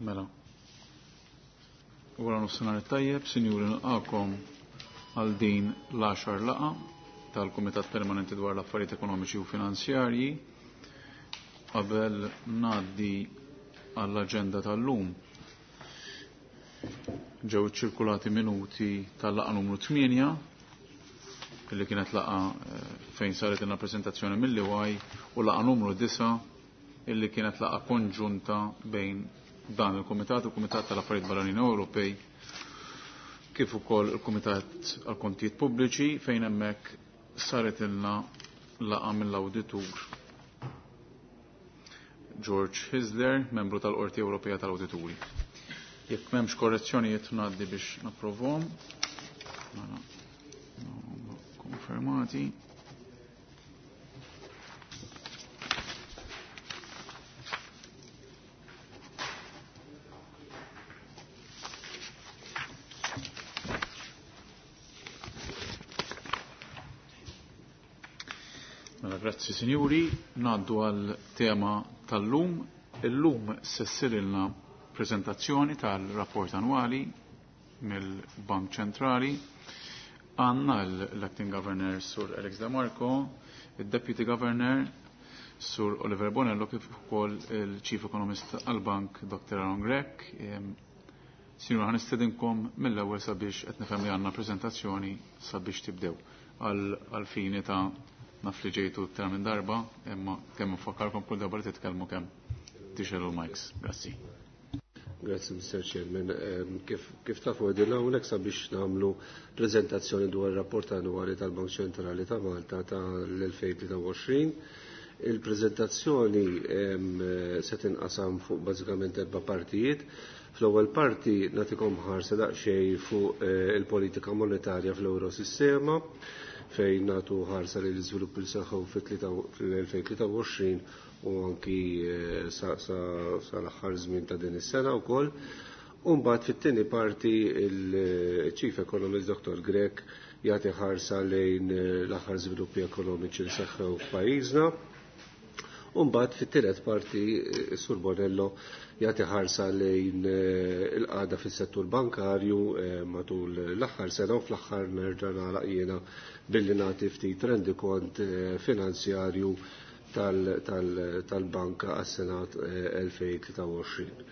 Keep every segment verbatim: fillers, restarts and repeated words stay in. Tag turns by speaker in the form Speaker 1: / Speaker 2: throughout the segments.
Speaker 1: Mela. Wara nofsinhar it-tajjeb, sinjuri, nilqakom għal din l-għaxar laqgħa tal-Kumitat Permanenti dwar l-Affarijiet Ekonomiċi u Finanzjarji. Qabel ngħaddi għall-aġenda tal-lum, ġew ċirkulati minuti tal-laqgħa numru tmienja, illi kienet laqgħa fejn saret ilna prezentazzjoni mill-E Y, u laqgħa numru disa', illi kienet laqgħa konġunta bejn dan il-Kumitat u il-Kumitat tal-Affarijiet Barranin Ewropej, kif ukoll il-Kumitat għall-Kontijiet Pubbliċi, fejn hemmhekk saret ilna laqgħa mill-Awditur George Hyzler, membru tal-Qorti Ewropea tal-Awdituri. Jekk m'hemmx korrezzjonijiet, ngħaddi biex napprovhom. Mela, konfermati. Mela, grazzi sinjuri, ngħaddu għal tema tal-lum. Illum se ssirilna prezentazzjoni tal-rapport annwali mill-Bank Ċentrali. Għandna l-Acting Governor Sur Alex De Marco, il-Deputy Governor Sur Oliver Bonello, kif ukoll il-Chief Economist għal-Bank Doctor Aaron Grech. Sinjur, ħa nistedinkom mill-ewwel sabiex qed nifhem li għandna prezentazzjoni sabiex tibdew għal fini ta' naf li ġejtu iktar minn darba, imma kemm nfakkarkom kull darba li titkellmu kemm tixgħelu l-mics. Grazzi.
Speaker 2: Grazzi, Mister Chairman. Kif, kif tafu, qegħdin hawnhekk sabiex nagħmlu prezentazzjoni dwar rapport annwali tal-Bank Ċentrali ta' Malta tal-elfejn tlieta u għoxrin. Il-prezentazzjoni se tinqasam fuq bażikament erba' partijiet. Fl-ewwel parti nagħtikom ħarsa daqsxejn fuq eh, il-politika monetarja fl-Eurosistema, fejn nagħtu ħarsa li l-iżvilupp li seħħu fil-elfejn tlieta u għoxrin u anki eh, sa l-aħħar żmien ta' din is-sena wkoll. U mbagħad fit-tieni parti il-Chief Economist Doctor Grech jagħti ħarsa lejn eh, l-aħħar żviluppi ekonomiċi li seħħew f'pajjiżna. U mbagħad fit-tielet parti eh, Sur Bonello jagħti ħarsa lejn il-qagħda fis-settur bankarju matul l-aħħar sena, u fl-aħħar nerġa' nagħlaq jiena billi nagħti ftit rendikont finanzjarju tal-banka għas-sena elfejn tlieta u għoxrin.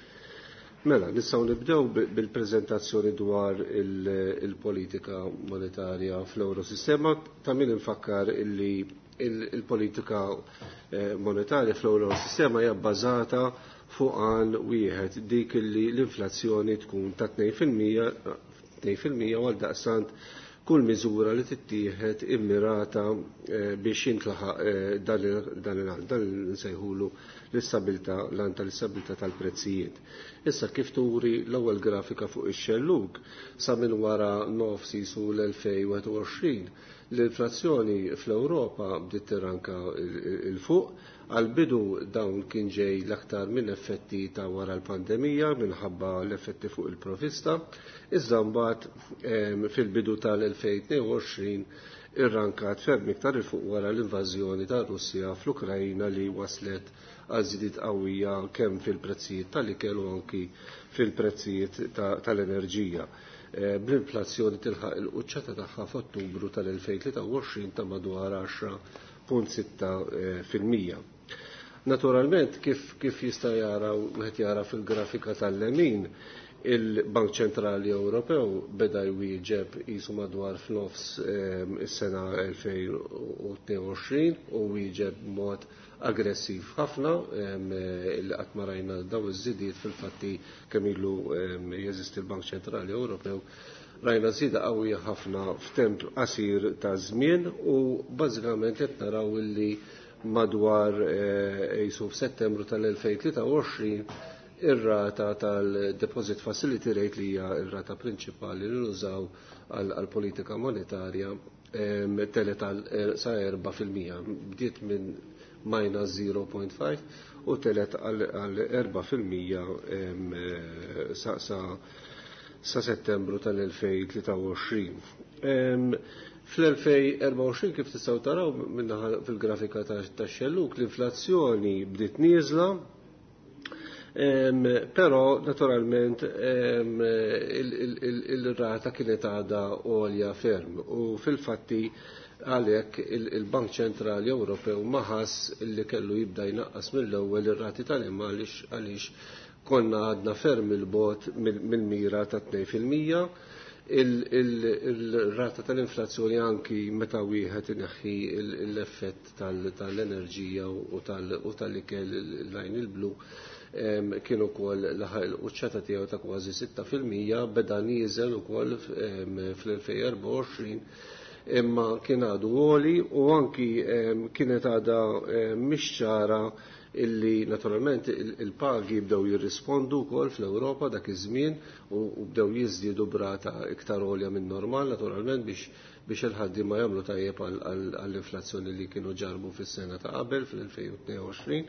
Speaker 2: Mela, nistgħu nibdew bil-prezentazzjoni dwar il-politika monetarja fl-Eurosistema. Ta' min infakkar illi il-politika monetarja fl-Eurosistema hija bbażata fuq għan wieħed, dik illi l-inflazzjoni tkun ta' tnejn fil-mija, u għal daqstant kull miżura li tittieħed immirata biex jintlaħaq dan il-għan, dan nsejħulu l-istabilità, l-għan tal-istabilità tal-prezzijiet. Issa, kif turi l-ewwel grafika fuq ix-xellug, sa minn wara nofs jisu l-elfejn wieħed u għoxrin l-inflazzjoni fl-Ewropa bdiet tirranka 'l fuq. Għal-bidu dawn kien ġej l-aktar minn effetti ta' wara l-pandemija minħabba l-effetti fuq il-provista, iżda mbagħad fil-bidu tal-elfejn tnejn u għoxrin irrankat ferm iktar 'il fuq wara l-invażjoni ta' Russja fl-Ukrajna, li waslet għal żidiet qawwija kemm fil-prezzijiet tal-ikel u anki fil-prezzijiet tal-enerġija. Bl-inflazzjoni tilħaq il-quċċata tagħha f'Ottubru tal-elfejn tlieta u għoxrin ta' madwar għaxra punt sitta fil-mija. Naturalment, kif, kif jista' jara wieħed jara fil-grafika tal-lemin, il-Bank Ċentrali Ewropew beda jwieġeb jisu madwar f'nofs is-sena elfejn tnejn u għoxrin u wieġeb mod aggressiv ħafna, li qatt ma rajna daw iż-żidiet. Fil-fatti, kemm ilu jeżisti l-Bank Ċentrali Ewropew, rajna żieda qawwija ħafna f'temp qasir ta' żmien, u bażikament qed naraw illi madwar jisu f'Settembru tal-elfejn tlieta u għoxrin ir-rata tal-Deposit Facility Rate, li hija r-rata prinċipali li nużaw għal-politika monetarja, telgħet sa erba' fil-mija. Bdiet minn minus zero point five u telgħet għal erba' fil-mija sa, sa, sa Settembru tal-elfejn tlieta u għoxrin. Fl-elfejn erbgħa u għoxrin, kif tistgħu taraw minnaħa fil-grafika ta' xelluk, l-inflazzjoni bdiet nieżla. Però naturalment il-rata kienet għadha għolja ferm u fil-fatti għalhekk il-Bank Ċentrali Ewropew ma ħass li kellu jibda jnaqqas mill-ewwel ir-rati tal-imgħax għaliex konna għadna ferm il-bot mill-mira ta' tnejn fil-mija. Il-rata tal-inflazzjoni anki meta wieħed ineħħi l-effett tal-enerġija u tal-ikel il-lajn il-blu kien ukoll laħaq il-quċċata tiegħu ta' kważi sitta fil-mija, beda nieżel ukoll fl-elfejn erbgħa u għoxrin, imma kien għadu għoli u anki kienet għadha mhix ċara illi naturalment il-pagi bdew jirrispondu wkoll fl-Ewropa dak iż-żmien u bdew jiżdiedu brata iktar għolja minn normal naturalment biex biex il-ħaddiema jagħmlu tajjeb għall-inflazzjoni li kienu ġarbu fis-sena ta' qabel fl-elfejn u tnejn u għoxrin.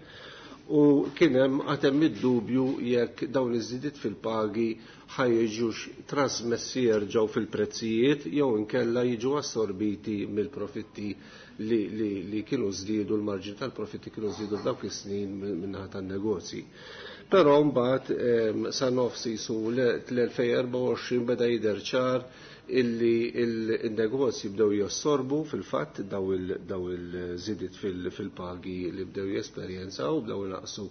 Speaker 2: U kien hemm għad hemm id-dubju jekk dawn iż-żidiet fil-pagi ħajġux trasmessi jerġgħu fil-prezzijiet jew inkella jiġu assorbiti mill-profitti li, li, li kienu żdiedu, l-marġin tal-profitti kienu żdiedu f'dawk is-snin min-naħa tan-negozji. Però mbagħad sa nofs jisu l-elfejn erbgħa u għoxrin beda jidher ċar illi il-negozji bdew jassorbu fil-fatt daw il-żidiet fil-pagi li bdew jesperjenzaw, bdew naqsu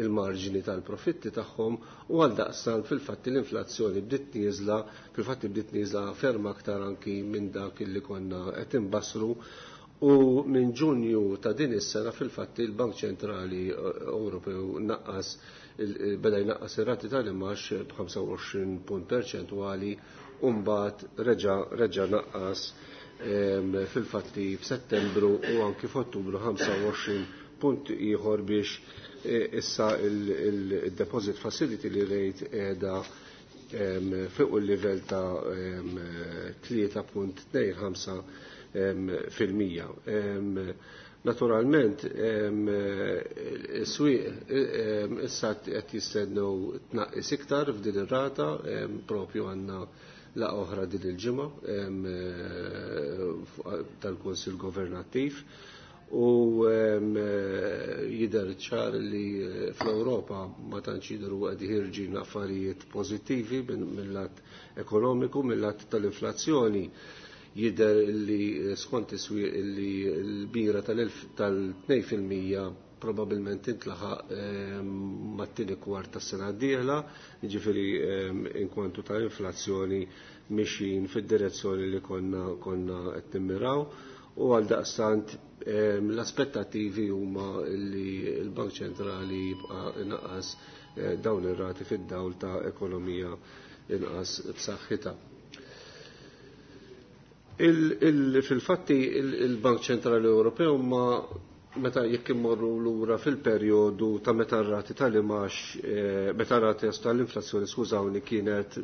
Speaker 2: il-marġini tal-profitti tagħhom u għal daqstant fil-fatt l-inflazzjoni bdiet nieżla, fil-fatt bdiet nieżla ferm aktar anki minn dak illi konna qed imbassru. U minn Ġunju ta' din is-sena fil-fatt il-Bank Ċentrali Ewropew naqqas beda jnaqqas ir-rati tal-imax b'ħamsa u għoxrin punt perċentwali u mbagħad reġa' reġa' naqqas fil-fatti f'Settembru u anki f'Ottubru ħamsa u għoxrin punt ieħor biex issa il-deposit facility li rejt qiegħda fuq il-livell ta' tlieta punt tnejn ħamsa fil-mija. Naturalment, is-swieq issa qed jistennew tnaqqis iktar f'din ir-rata, propju għandna laqgħa oħra din il-ġimgħa tal-Kunsill Governattiv u jidher ċar li fl-Ewropa ma tantx jidhru qed ħirġin affarijiet pożittivi mill-lat ekonomiku, mill-lat tal-inflazzjoni. Jidher li skont is-swieq li l-bira tal-tnejn fil-mija probabilment tintlaħaq mat-tieni kwart tas-sena d-dieħla, jiġifieri inkwantu ta' inflazzjoni mixjin fid-direzzjoni li konna, konna qed nimmiraw u għal daqstant l-aspettattivi huma li l-Bank Ċentrali jibqa' inqas dawn ir-rati fid-dawl ta' ekonomija inqas b'saħħitha. Fil-fatti il-Bank Ċentrali Ewropew ma meta jekk immorru lura fil-perjodu ta' meta r-rati tal-imax, meta r-rati tal-inflazzjoni, skużawni, kienet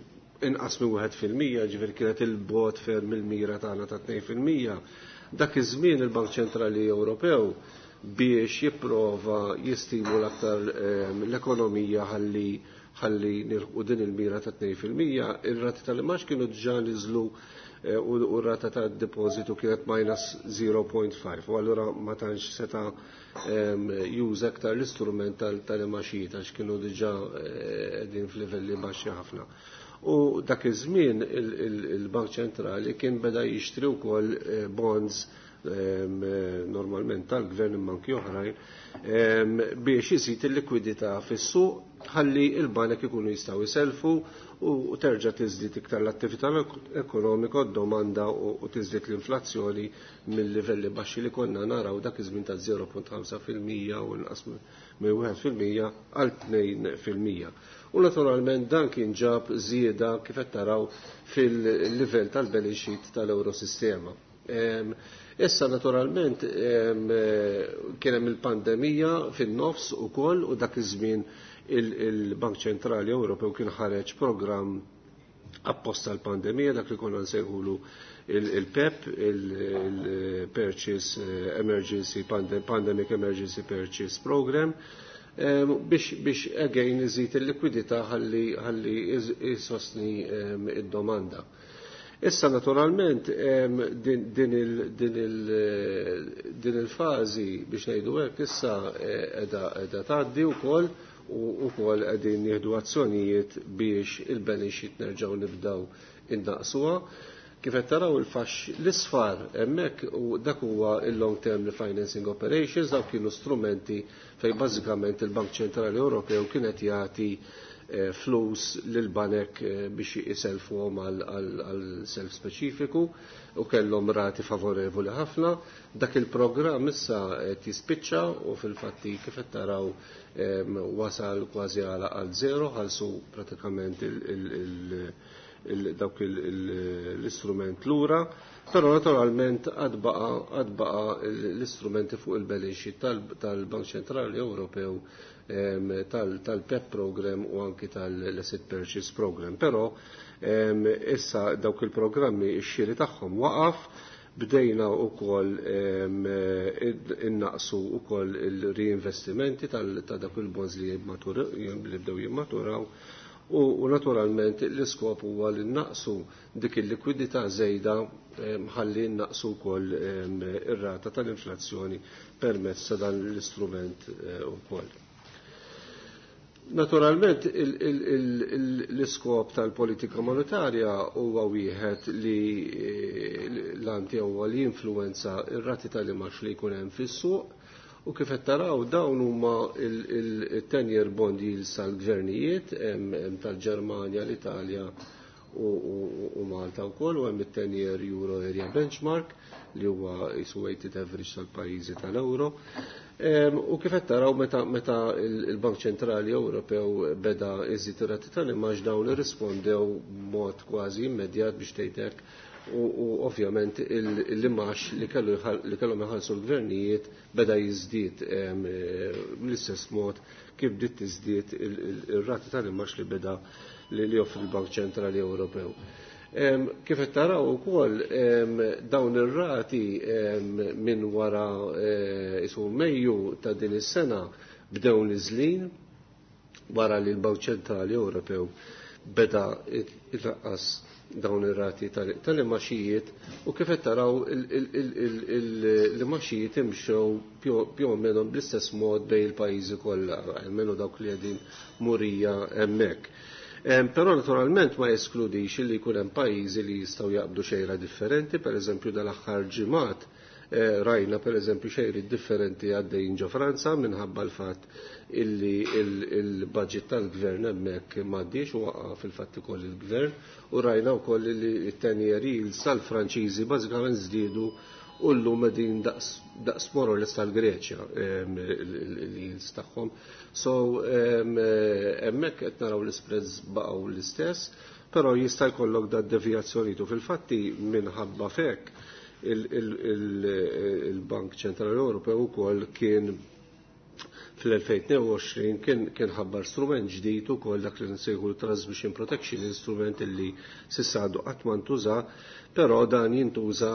Speaker 2: inqas minn wieħed fil-mija, ġifieri kienet il-bogħod ferm il-mira tagħna ta' tnejn fil-mija. Dak iż-żmien il-Bank Ċentrali Ewropew biex jipprova jistimula aktar l-ekonomija ħalli ħalli nilħqu din il-mira ta' tnejn fil-mija, ir-rati tal-imax kienu diġà niżlu u r-rata ta' depositu kienet minus zero point five, u allura ma tantx seta' juża aktar l-istrument tal-imaxijiet għax kienu diġà qegħdin f'livelli baxxi ħafna. U dak iż-żmien il-Bank Ċentrali kien beda jixtri wkoll bonds normalment tal-gvern imma anki oħrajn biex iżid il-likwidità fis-suq ħalli il-banek ikunu jistgħu jiselfu u terġa' tiżdied iktar l-attività ekonomika, d-domanda u tiżdied l-inflazzjoni mill-livelli baxxi li konna naraw dak iż-żmien ta' zero punt ħamsa fil-mija u inqas minn wieħed fil-mija għal tnejn fil-mija. U naturalment dan kien ġab żieda kif qed taraw fil-livell tal-balance sheet tal-Eurosistema. Issa naturalment kien hemm il-pandemija fin-nofs ukoll u dak iż-żmien il-Bank Ċentrali Ewropew kien ħareġ programm apposta l-pandemija, dak li konna nsejħulu il-P E P, il-Purchase Emergency Pandemic Emergency Purchase Program, biex, biex again iżid il-likwidità ħalli, ħalli jisostni id-domanda. Issa naturalment din, din il, din il, din il-fażi biex ngħidu hekk issa qiegħda, qiegħda tgħaddi wkoll u wkoll qegħdin nieħdu azzjonijiet biex il-balance sheet nerġgħu nibdew innaqsuha. Kif qed taraw il-fax l-isfar hemmhekk u dak huwa il-long term refinancing operations, dawk kienu strumenti fejn bażikament il-Bank Ċentrali Ewropew kienet jagħti eh, flus lil banek eh, biex iselfuhom għal self speċifiku u kellhom rati favorevoli ħafna. Dak il-programm issa qed jispiċċa u fil-fatti kif qed taraw wasal kważi għal zero, ħalsu pratikament il-, il, il dawk l-istrument lura, però naturalment għad baqa l-istrumenti fuq il-balance sheet tal-Bank Ċentrali Ewropew, tal-P E P program u anki tal-Asset Purchase Program. Però issa dawk il-programmi x-xiri tagħhom waqaf, bdejna wkoll innaqsu wkoll il-reinvestimenti ta' dawk il-bonds li bdew jimmaturaw. U naturalment l-iskop huwa li naqsu dik il-likwidità żejda ħalli naqsu wkoll ir-rata tal-inflazzjoni permezz ta' dan l-istrument ukoll. Naturalment l-iskop tal-politika monetarja huwa wieħed li l-anti huwa li jinfluwenza ir-rati tal-imax li jkun hemm fis-suq. U kif qed taraw dawn huma il-ten-year bond yields tal-gvernijiet, hemm tal-Ġermanja, l-Italja u Malta wkoll, u hemm it-ten-year Euro Area Benchmark li huwa isu weighted average tal-pajjiżi tal-Euro. U kif qed taraw meta meta il-Bank Ċentrali Ewropew beda iżid ir-rati tal-imax dawn irrispondew b'mod kważi immedjat biex tgħidlek, u ovvjament l-imax li kellhom iħallsu l-gvernijiet beda jiżdied bl-istess mod kif bdiet tiżdied ir-rati tal-imax li beda li joffri l-Bank Ċentrali Ewropew. Kif qed taraw ukoll dawn ir-rati minn wara isu Mejju ta' din is-sena bdew niżlin wara li l-Bank Ċentrali Ewropew beda inaqqas dawn ir-rati tal-imaxijiet, u kif qed taraw l-imaxijiet imxew più o meno bl-istess mod bejn il-pajjiżi kollha, almenu dawk li qegħdin murija hemmhekk. Però naturalment ma jeskludix li jkun hemm pajjiżi li jistgħu jaqbdu xejra differenti, pereżempju dal-aħħar ġimgħat rajna pereżempju xejri differenti għaddejjin ġo Franza minħabba l-fatt illi il-budget tal-gvern hemmhekk m'għaddiex u waqa' fil-fatt ukoll il-gvern, u rajna wkoll li t-ten-year yields tal-Franċiżi bażikament żdiedu u llum qegħdin daqs more or less tal-Greċja il-yields tagħhom. So hemmhekk qed naraw l-spreads baqgħu l-istess, però jista' jkollok da devjazzjonijiet u fil-fatti minħabba fek il-Bank Ċentrali Ewropew ukoll kien fl-elfejn tnejn u għoxrin kien ħabbar strument ġdid ukoll dak li nsejħu l-Transmission Protection Instrument illi s'issa għadu qatt ma ntuża, però dan jintuża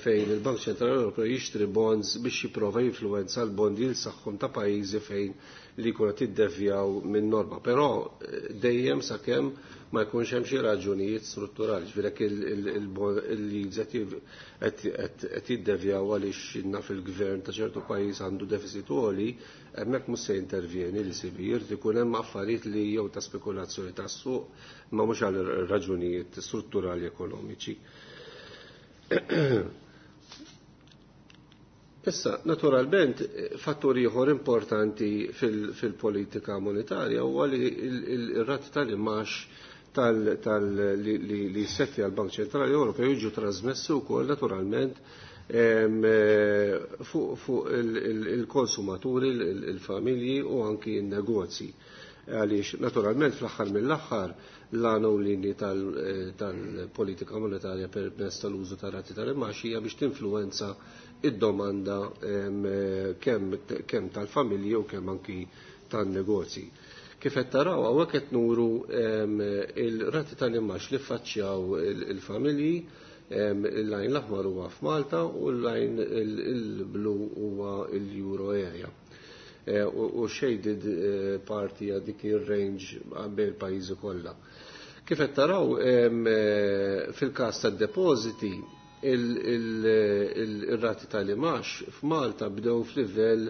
Speaker 2: fejn il-Bank Ċentrali Ewropew jixtri bonds biex jipprova jinfluwenza l-bond yields tagħhom ta' pajjiżi fejn li jkunu qed jiddevjaw minn norma. Però dejjem sakemm ma jkunx hemm xi raġunijiet strutturali, ġifieri jekk il-yields qed jiddevjaw għaliex naf il-gvern ta' ċertu pajjiż għandu deficit għoli, hemmhekk mhux se jintervjeni l-E C B, jrid ikun hemm affarijiet li jew ta' spekulazzjoni tas-suq, ma mhux għal raġunijiet strutturali ekonomiċi. Issa, naturalment, fattur ieħor importanti fil-politika monetarja huwa li il-rati tal-imax li jsetti għal-Bank Ċentrali Ewropew jiġu trasmessi wkoll naturalment fuq il-konsumaturi, il-familji u anki n-negozji. Għaliex naturalment fl-aħħar mill-aħħar l-għana u l-linji tal-politika monetarja permezz tal-użu tar-rati tal-imax hija biex tinfluwenza id-domanda kemm tal-familji u kemm anki tan-negozji. Kif qed taraw hawnhekk qed nuru il-rati tal-imax li ffaċċjaw il-familji, il-lajn l-aħmar huwa f'Malta u l-lajn il-blu huwa l-Euro area. U shaded parti għal dik ir-range bejn il-pajjiżi kollha. Kif qed taraw fil-każ tad-depożiti il-rati tal-imax f'Malta bdew f'livell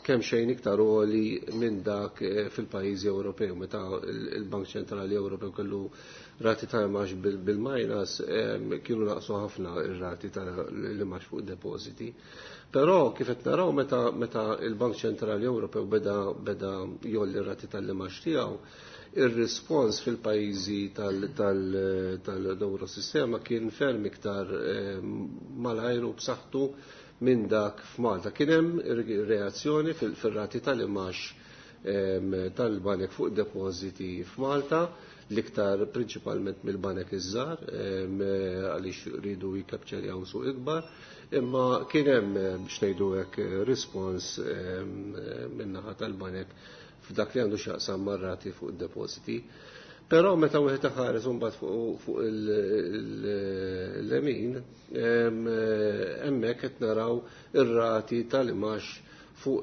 Speaker 2: kemm xejn iktar għoli minn dak fil-pajjiżi Ewropew. Meta il-Bank Ċentrali Ewropew kellu rati ta' imax bil-minus, kienu naqsu ħafna ir-rati ta' l-imax fuq depositi. Però kif qed naraw meta meta il-Bank Ċentrali Ewropew beda beda jolli r-rati tal-imax tiegħu, ir-rispons fil-pajjiżi tal-Eurosistema kien ferm iktar malajr u b'saħħtu minn dak f'Malta. Kien hemm reazzjoni fil-rati tal-imax tal-banek fuq depositi f'Malta, l-iktar prinċipalment mill-banek iż-żgħar għaliex ridu jikapċerjaw suq ikbar, imma kien hemm biex ngħidu hekk rispons min-naħa tal-banek f'dak li għandu x'jaqsam mar-rati fuq id-depositi. Però meta wieħed iħares imbagħad fuq il-lemin, hemmhekk qed naraw ir-rati tal-imax fuq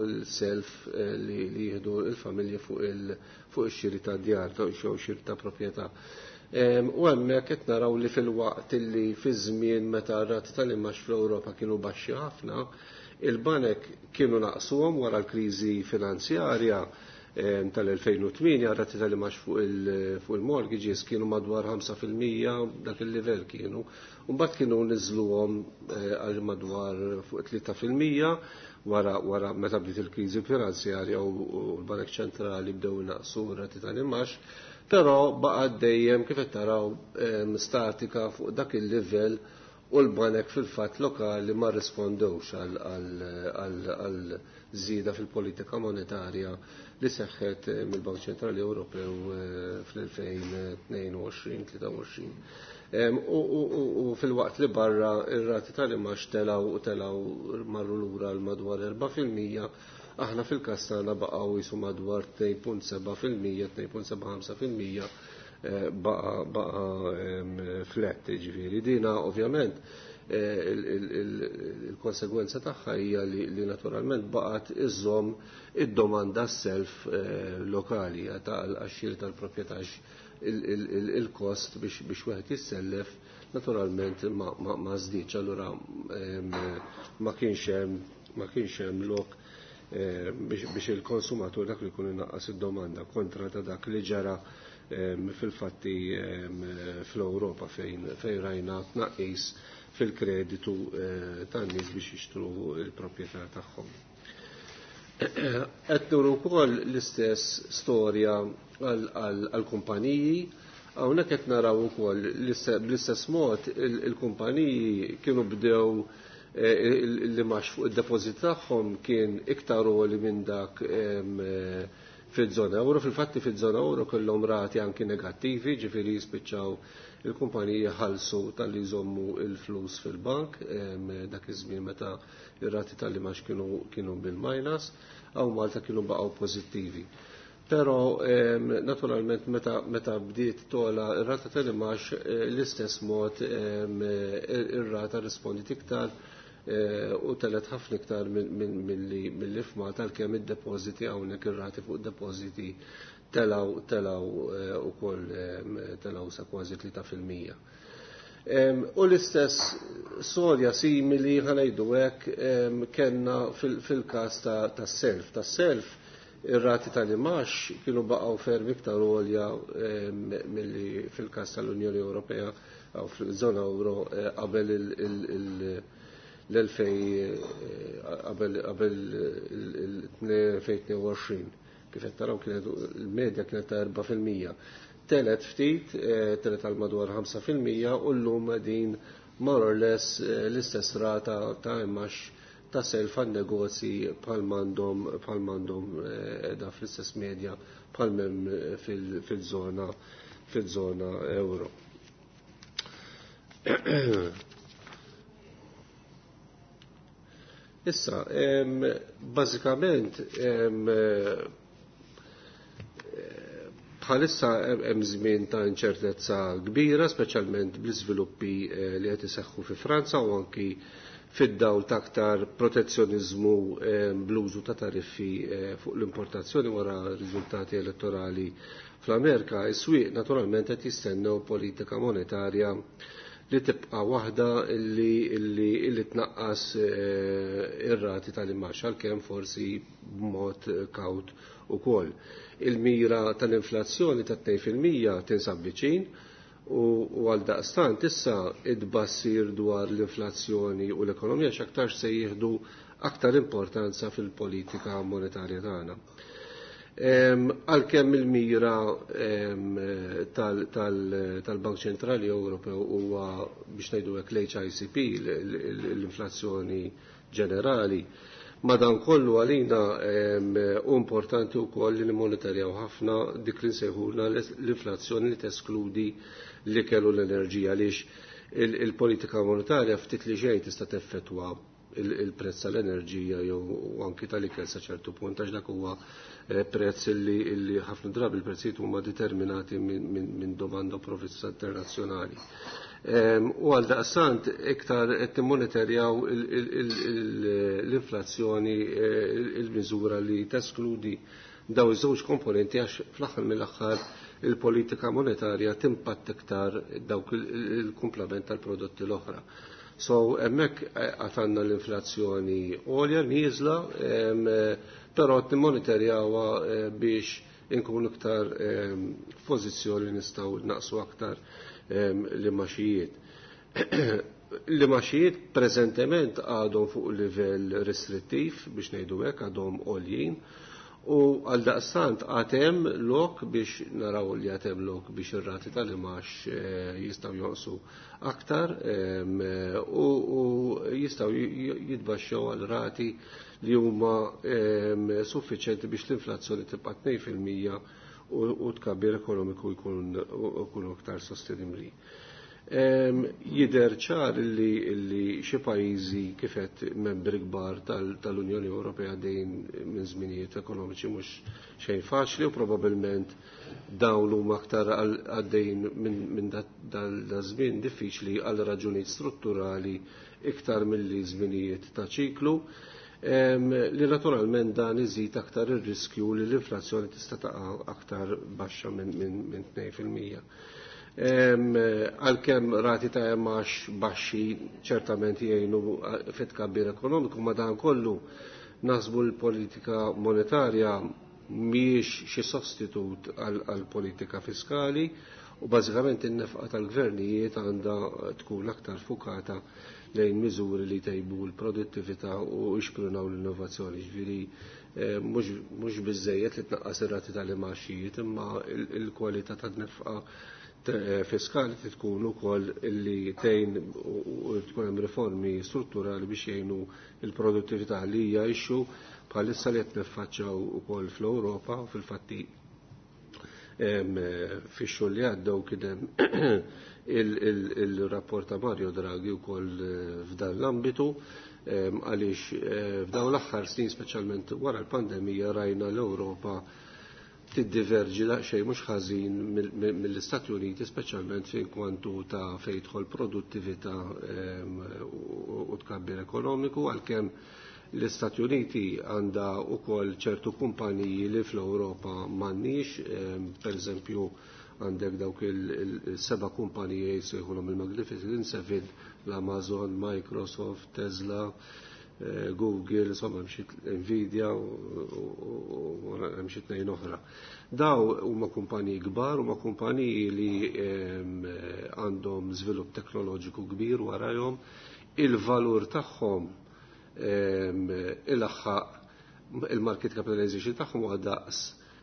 Speaker 2: il-self li jieħdu l-familji fuq ix-xiri ta' djar jew xiri ta' proprjetà. U hemmhekk qed naraw li fil-waqt li fi żmien meta r-rati tal-imax fl-Ewropa kienu baxxi ħafna, il-banek kienu naqsuhom wara l-kriżi finanzjarja tal-elfejn u tmienja, rati tal-imax fuq il-mortgages kienu madwar ħamsa fil-mija, dak il-livell kienu. Mbagħad kienu niżluhom għal madwar fuq tlieta fil-mija wara wara meta bdiet il-kriżi finanzjarja u l-Banek Ċentrali bdew naqsu rati tal-imax, però baqa' dejjem kif qed taraw statika fuq dak il-livell u l-banek fil-fatt lokali ma rrispondewx għal żieda fil-politika monetarja li seħħet mill-Bank Ċentrali Ewropew fl-elfejn tnejn u għoxrin, tlieta u għoxrin. U fil-waqt li barra ir-rati tal-imax telaw u telaw marru lura l madwar erba' fil-mija, aħna fil-każ tagħna baqgħu jisu madwar tnejn punt seba' fil-mija, tnejn punt seba' ħamsa fil-mija, baqa, baqa flat, ġifieri. Dina ovvjament il-konsegwenza tagħha hija li naturalment baqgħet iżżomm id-domanda self lokali għax-xiri tal-proprjetà, il-kost biex wieħed jissellef naturalment ma żdiedx, allura ma kienx hemm ma kienx hemm lok biex il-konsumatur dak li jkun inaqqas id-domanda kontra ta' dak li ġara fil-fatti fl-Ewropa fejn fejn rajna tnaqqis fil-kreditu tan-nies biex jixtru l-proprjetà tagħhom. Qed nuru wkoll l-istess storja għall-kumpaniji. Hawnhekk qed naraw ukoll bl-istess mod il-kumpaniji kienu bdew li max fuq id-depożit tagħhom kien iktar għoli minn dak fil-żona euro. Fil-fatti fil-żona euro kellhom rati anki negattivi, ġifieri jispiċċaw il-kumpaniji ħalsu tal-li jżommu il-flus fil-bank dak iż-żmien meta ir-rati tal-li max kienu, kienu bil-minus, għaw Malta kienu baqgħu pożittivi. Però naturalment meta, meta bdiet tola ir-rata tal-imax l-istess mod ir-rata rispondit iktar u telet ħafna iktar mill-li f'Malta, għalkemm id-depożiti hawnhekk ir-rati fuq id-depożiti telaw, telaw ukoll telaw sa kważi tlieta fil-mija. U l-istess storja simili ħanejdu hekk kellna fil-każ tas-self. Tas-self ir-rati tal-imax kienu baqgħu ferm iktar għolja milli fil-każ tal-Unjoni Ewropea jew fil-żona euro qabel l-elfej qabel qabel l-elfejn tnejn u għoxrin. Kif qed taraw kienet il-medja kienet ta' erba' fil-mija. Telet ftit, telet għal madwar ħamsa fil-mija u llum din more or less l-istess rata ta' imax ta' self għan negozji bħal m'għandhom, bħal m'għandhom da fl-istess medja bħal m'hemm fil-żona, fil-żona euro. Issa, bażikament, bħalissa hemm żmien ta' inċertezza kbira, speċjalment bl-iżviluppi li qed iseħħu fi Franza u anki fid-dawl ta' aktar protezzjoniżmu bl-użu ta' tariffi fuq l-importazzjoni wara riżultati elettorali fl-Amerika. Is-swieq naturalment qed jistennew politika monetarja li tibqa' waħda illi illi illi tnaqqas eh, ir-rati tal-imax għalkemm forsi b'mod kawt ukoll. Il-mira tal-inflazzjoni ta' tnejn fil-mija tinsab viċin u għal daqstant issa id-bassir dwar l-inflazzjoni u l-ekonomija x'aktarx se jieħdu aktar importanza fil-politika monetarja tagħna. Għalkemm il-mira tal-Bank Ċentrali Ewropew huwa biex ngħidu hekk l-H I C P, l-inflazzjoni ġenerali, madankollu għalina hu importanti wkoll li nimmonitorjaw ħafna dik li nsejħulna l-inflazzjoni li teskludi l-ikel u l-enerġija, għaliex il-politika monetarja ftit li xejn tista' teffettwa il-prezz tal-enerġija jew anki tal-ikel sa ċertu punt, għax dak huwa eh, prezz li ħafna drabi il-prezzijiet huma determinati minn domanda u provvista internazzjonali. U għal daqstant iktar qed nimmonitorjaw l-inflazzjoni, eh, il-miżura li teskludi daw iż-żewġ komponenti, għax fl-aħħar mill-aħħar il-politika monetarja timpatt iktar dawk il-kumplament tal-prodotti l-oħra. So hemmhekk eh, għatanna l-inflazzjoni għolja nieżla, però nimmonitorjawha eh, biex inkunu iktar f'pożizzjoni nistgħu naqsu aktar l-imgħaxijiet. L-imgħaxijiet preżentement għadhom fuq livell restrittiv, biex ngħidu hekk, għadhom għoljin, u għal daqstant għatem lok biex naraw li għatem lok biex ir-rati tal-imax eh, jistaw jonqsu aktar u jistaw jitbaxxew għal rati li huma suffiċenti biex l-inflazzjoni tibqa' tnejn fil-mija u tkabbir ekonomiku jkun aktar sostenibbli. Jider ċar li, li xi pajjiżi kifet membri kbar tal-Unjoni Ewropea dejn minn żminijiet ekonomiċi mhux xejn faċli u probabbilment dawn huma aktar għaddejn minn da żmien diffiċli għal raġunijiet strutturali iktar milli żminijiet ta' ċiklu, li naturalment dan iżid aktar ir-riskju li l-inflazzjoni tista' taqa' aktar baxxa minn min, tnejn fil-mija. Għalkemm rati ta' imgħax baxxi ċertament jgħinu fit tkabbir ekonomiku, ma dan kollu naħsbu l-politika monetarja mhijiex xi sostitut għal politika fiskali u bażikament in-nefqa tal-gvernijiet għandha tkun aktar fukata lejn miżuri li tejbu l-produttività u jixprunaw l-innovazzjoni. Ġifieri eh, mhux biżejjed li tnaqqas ir-rati tal-imgħaxijiet, imma il-kwalità tan-nefqa eh, fiskali tkun ukoll li tgħin u tkun hemm riformi strutturali biex jgħinu l-produttività, li hija issue bħalissa li qed niffaċċjaw ukoll fl-Ewropa. U fil-fatti fix-xhur li għaddew kien hemm il-rapport ta' Mario Draghi wkoll eh, f'dan l-ambitu, għaliex eh, f'dawn l-aħħar snin, speċjalment wara l-pandemija, rajna l-Ewropa tiddiverġi daqsxejn mhux ħażin mill-Istati Uniti, speċjalment fejn kwantu ta' fejn jidħol produttività u tkabbir ekonomiku, għalkemm l-Istati Uniti għandha wkoll ċertu kumpaniji li fl-Ewropa m'għandniex, per eżempju għandek dawk il-seba kumpaniji jsejħulhom il-Magnificent Seven, l-Amazon, Microsoft, Tesla, eh, Google, insomma Nvidia u hemm xi tnejn oħra. Daw huma kumpaniji kbar, huma kumpaniji li għandhom żvilupp teknoloġiku kbir warajhom, il-valur tagħhom il-aħħaq il-market capitalization tagħhom huwa daqs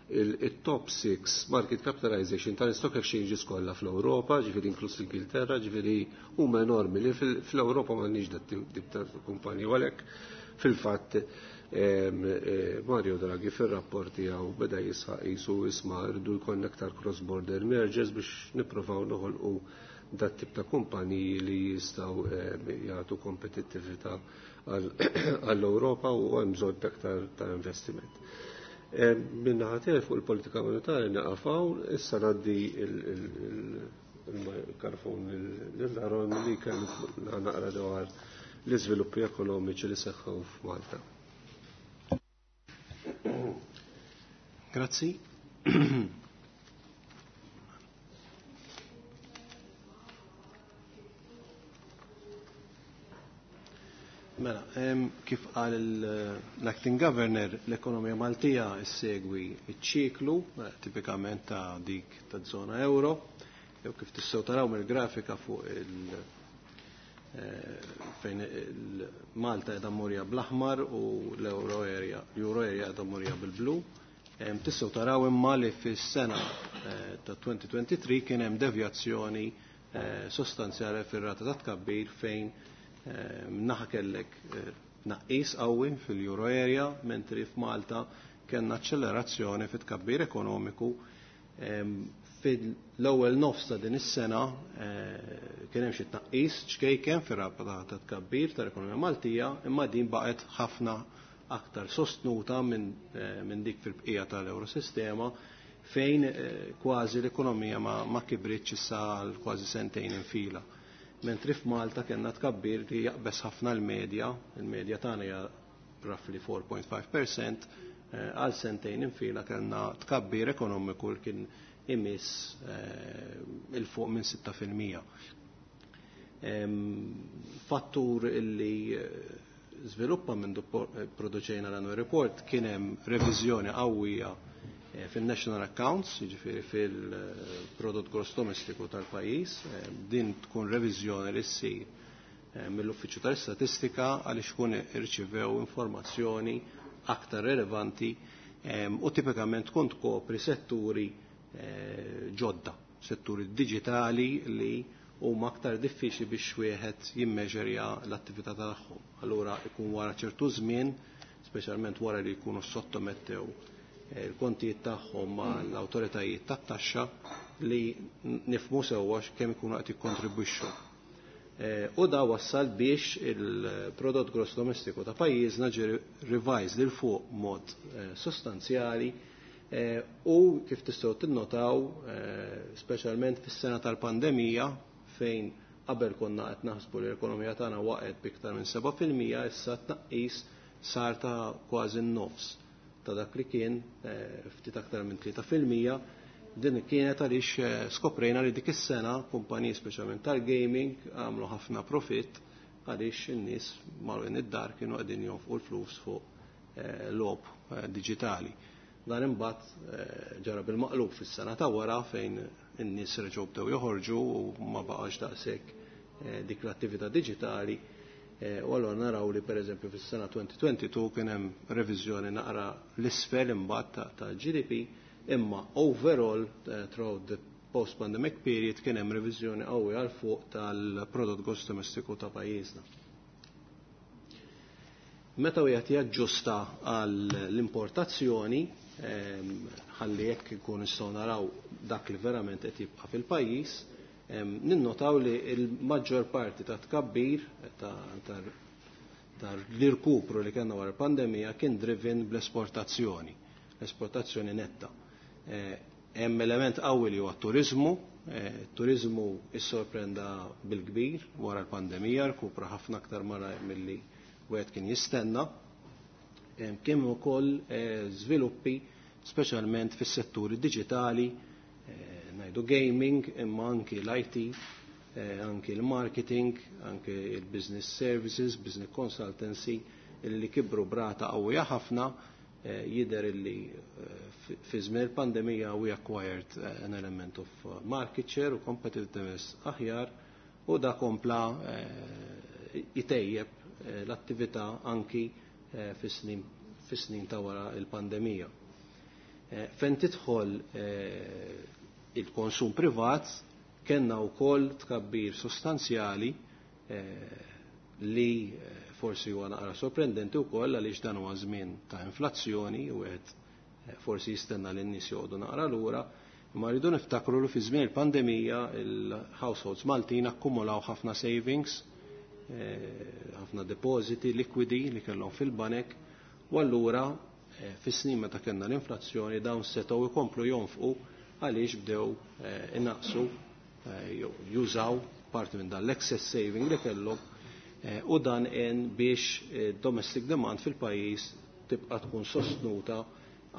Speaker 2: il-top six market capitalization tal-stock exchanges kollha fl-Ewropa, ġifieri inkluż l-Ingilterra, ġifieri huma enormi li fl-Ewropa m'għandniex dat ta' kumpaniji. Għalhekk fil-fatt eh, Mario Draghi fir-rapport tiegħu beda jisħaq jisu isma' rridu jkollna aktar cross-border mergers biex nippruvaw noħolqu dat tip ta' kumpaniji li jistgħu jagħtu kompetittività għall-Ewropa u hemm bżonn aktar ta' investiment. Min-naħa tiegħi fuq il-politika monetarja nieqaf hawn, issa ngħaddi il-mikrofon lil Aaron li kellu naqra dwar l-iżviluppi ekonomiċi li seħħu f'Malta.
Speaker 3: Grazzi. Mela, kif qal l-Acting Governor, l-ekonomija Maltija ssegwi ċ-ċiklu eh, tipikament ta' dik ta' zona euro, jew kif tistgħu taraw mill-grafika fuq il- eh, fejn Malta qiegħda murja bl-aħmar u l-euro area, l-euro area qiegħda murja bil-blu. Tistgħu taraw imma li fis-sena eh, ta' elfejn u tlieta u għoxrin kien hemm devjazzjoni sostanzjali fir-rata ta' tkabbir, fejn naħa kellek eh, tnaqqis qawwi fil-euro area, mentri f'Malta kellna accelerazzjoni fit tkabbir ekonomiku. Fil-ewwel nofs ta' din is-sena eh, kien hemm xi tnaqqis ċkejken fir-rabta ta' tkabbir tal-ekonomija Maltija, imma din baqgħet ħafna aktar sostnuta minn eh, min dik fil-bqija tal-Eurosistema, fejn kważi l-ekonomija ma, ma kibritx issa għal kważi sentejn infila, mentri f'Malta kellna tkabbir li jaqbes ħafna l-medja, il-medja tagħna hija roughly erbgħa punt ħamsa fil-mija, eh, għal sentejn infila kellna tkabbir ekonomiku li kien imiss eh, il fuq minn sitta fil-mija. Fattur illi eh, żviluppa minn produċejna l-annual report, kien hemm reviżjoni qawwija Eh, fil-national accounts, jiġifieri fil-prodott gross domestiku tal-pajjiż. Eh, din tkun reviżjoni li ssir eh, mill-Uffiċċju tal-Istatistika għaliex kun irċivew informazzjoni aktar relevanti u tipikament tkun tkopri setturi ġodda, setturi digitali li huma aktar diffiċli biex wieħed jimmeġerja l-attività tagħhom. Allura ikun wara ċertu żmien, speċjalment wara li jkunu sottomettew il-kontijiet tagħhom mal-awtoritajiet tat-taxxa, li nifmu sewwa kemm ikunu qed jikkontribwixxu. Eh, u da wassal biex il-prodott gross domestiku ta' pajjiżna ġie revised 'il fuq mod eh, sostanzjali eh, u kif tistgħu tinnotaw, speċjalment fis-sena tal-pandemija, fejn qabel konna qed naħsbu li l-ekonomija tagħna waqgħet b'iktar minn seba' fil-mija, issa tnaqqis sar ta' kważi n-nofs ta' dak li kien, ftit aktar minn tlieta fil-mija. Din kienet għaliex eh, skoprejna li dik is-sena kumpaniji, speċjalment tal-gaming, għamlu ħafna profit għaliex in-nies magħluqin id-dar kienu qegħdin jonfqu l-flus fuq eh, logħob eh, diġitali. Dan imbagħad ġara bil-maqlub fis-sena ta' wara, fejn in-nies reġgħu bdew joħorġu u ma baqax daqshekk dik l-attività diġitali. U allura naraw li pereżempju fis-sena elfejn u tnejn u għoxrin kien hemm reviżjoni naqra l-isfel imbagħad ta' G D P, imma overall uh, throughout the post-pandemic period kien hemm reviżjoni qawwi għal fuq tal-prodott gross domestiku ta' pajjiżna. Meta wieħed jaġġusta għall-importazzjoni, ehm, ħalli jekk ikun nistgħu naraw dak li verament qed jibqa' fil-pajjiż, ehm, ninnotaw li l-maġġor parti ta' tkabbir ta' l-irkupru li kellna wara l-pandemija kien driven bl-esportazzjoni, l-esportazzjoni netta. Eh, hemm element qawwi li huwa turizmu, eh, turizmu issorprenda bil-kbir wara l-pandemija, rkupra ħafna aktar mara milli wieħed kien jistenna. Kien ukoll eh, żviluppi speċjalment fis-setturi diġitali, ngħidu gaming, imma anki l-I T, anki l-marketing, anki il-business services, business consultancy, li kibru b'rata qawwija ħafna. Eh, jider illi eh, fi żmien il-pandemija we acquired eh, an element of market share u competitiveness aħjar, u da kompla jitejjeb l-attività anki fis-snin ta' wara il-pandemija. Fejn tidħol il-konsum privat, kellna wkoll tkabbir sostanzjali li forsi huwa naqra sorprendenti wkoll, għaliex dan huwa żmien ta' inflazzjoni u qed eh, forsi jistenna li n-nies joqogħdu naqra lura. Imma rridu niftakru li fi żmien il-pandemija il-households Maltin akkumulaw ħafna savings, eh, ħafna depositi likwidi li kellhom fil-banek, u allura eh, fis-snin meta kellna l-inflazzjoni dawn setgħu jkomplu jonfqu għaliex bdew inaqsu, jużaw parti minn dan l-excess saving li kellhom, Eh, u dan għen biex eh, domestic demand fil-pajjiż tibqa' tkun sostnuta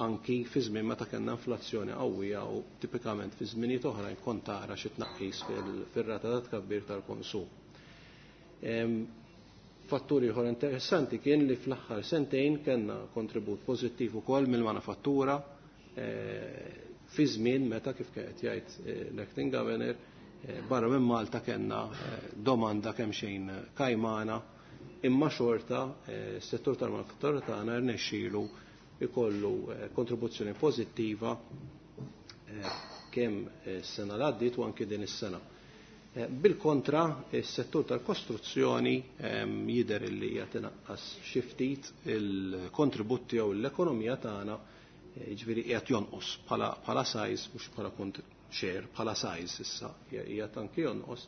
Speaker 3: anki fi żmien meta kellna inflazzjoni qawwija, u tipikament fi żminijiet oħra jkun tara xi tnaqqis fir-rata ta' tkabbir tal-konsum. Fattur ieħor interessanti kien li fl-aħħar sentejn kellna kontribut pożittiv ukoll mill-manifattura fi żmien meta kif qed jgħid l-acting governor barra minn Malta kellna domanda kemm xejn kajmana, imma xorta s-settur tal-manifattura tagħna rnexxielu ikollu kontribuzzjoni pożittiva kemm s-sena l-għaddiet u anki din is-sena. Bil-kontra, is-settur tal-kostruzzjoni jidher li qed inaqqas xi ftit il-kontribut tiegħu l-ekonomija tagħna, jiġifieri qiegħed jonqos bħala size, mhux bħala share, bħala size issa qiegħed anki jonqos,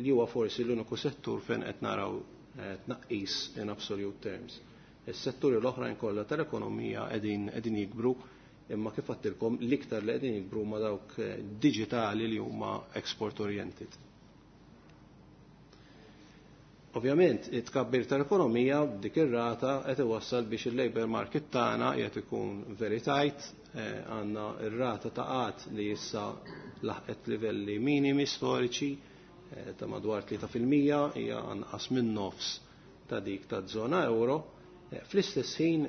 Speaker 3: li huwa forsi l-uniku settur fejn qed naraw tnaqqis in absolute terms. Is-setturi l-oħrajn kollha tal-ekonomija qegħdin qegħdin jikbru, imma kif għedtilkom l-iktar li qegħdin jikbru ma dawk digitali li huma export oriented. Ovvjament, it-tkabbir tal-ekonomija b'dik ir-rata qed iwassal biex il-labor market tagħna qiegħed ikun very tight, għandna r-rata ta' qgħad li issa laħqet livelli minimi storiċi ta' madwar tlieta fil-mija, hija anqas minn nofs ta' dik taż-żona euro. Fl-istess ħin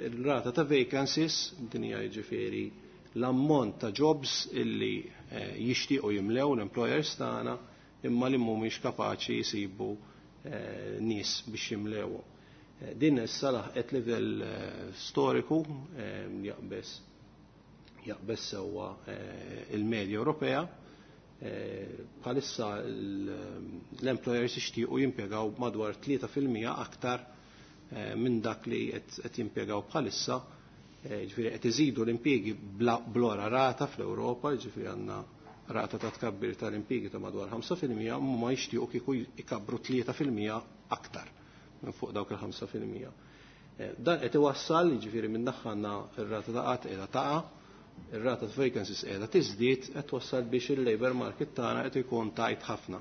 Speaker 3: ir-rata ta' vacancies, din hija jiġifieri l-ammont ta' jobs illi jixtiequ jimlew l-employers tagħna imma li mhumiex kapaċi jsibu nies biex jimlewhom. Din issa laħqet livell storiku jaqbeż jaqbeż sewwa il-medja Ewropea. Bħalissa l-employers jixtiequ jimpjegaw madwar tlieta fil-mija aktar minn dak li qed jimpjegaw bħalissa, ġifieri qed iżidu l-impjiegi blora rata fl-Ewropa, ġifieri għandna rata ta' tkabbir tal-impjiegi ta' madwar ħamsa fil-mija, ma jixtiequ kieku jkabbru tlieta fil-mija aktar minn fuq dawk il-ħamsa fil-mija. Dan qed iwassal, jiġifieri minn naħa għandna r-rata ta' qatt qiegħda taqa', ir-rata ta' vacancies qiegħda tiżdied, qed twassal biex il-labor market tagħna qed ikun tajt ħafna.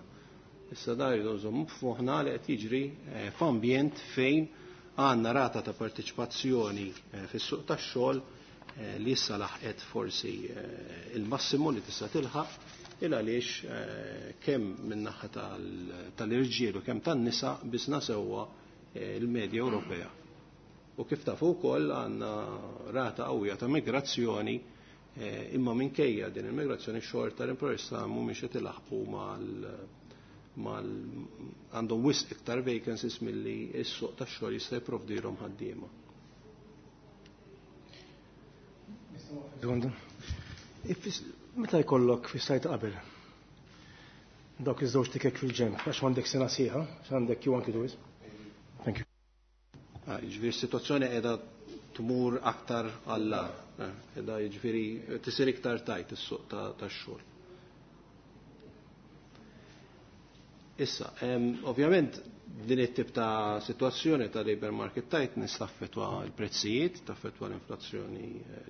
Speaker 3: Issa dan rridu nżommu f'moħħna li qed jiġri f'ambjent fejn għandna rata ta' parteċipazzjoni fis-suq tax-xogħol li issa laħqet forsi il-massimu li tista' tilħaq, il għaliex kemm min-naħa tal-irġiel u kemm tan-nisa biżna sewwa l-medja Ewropea. U kif tafu wkoll għandna rata qawwija ta' migrazzjoni, imma minkejja din il-migrazzjoni xorta l-employers tagħna mhumiex qed ilaħqu mal mal għandhom wisq iktar vacancies milli s-suq tax-xogħol jista' jipprovdilhom ħaddiema.
Speaker 4: Meta jkollok fis-sajt qabel dawk iż-żewġ tikek fil-ġenb, għax m'għandek sena sieħa, għax għandek Q one Q two. Thank you.
Speaker 3: Jiġifieri s-sitwazzjoni qiegħda tmur aktar għall-agħar, qiegħda jiġifieri tisir iktar tajt is-suq tax-xogħol. Issa, ovvjament din it-tip ta' situazzjoni ta' labor market tightness taffettwa l-prezzijiet, taffettwa l-inflazzjoni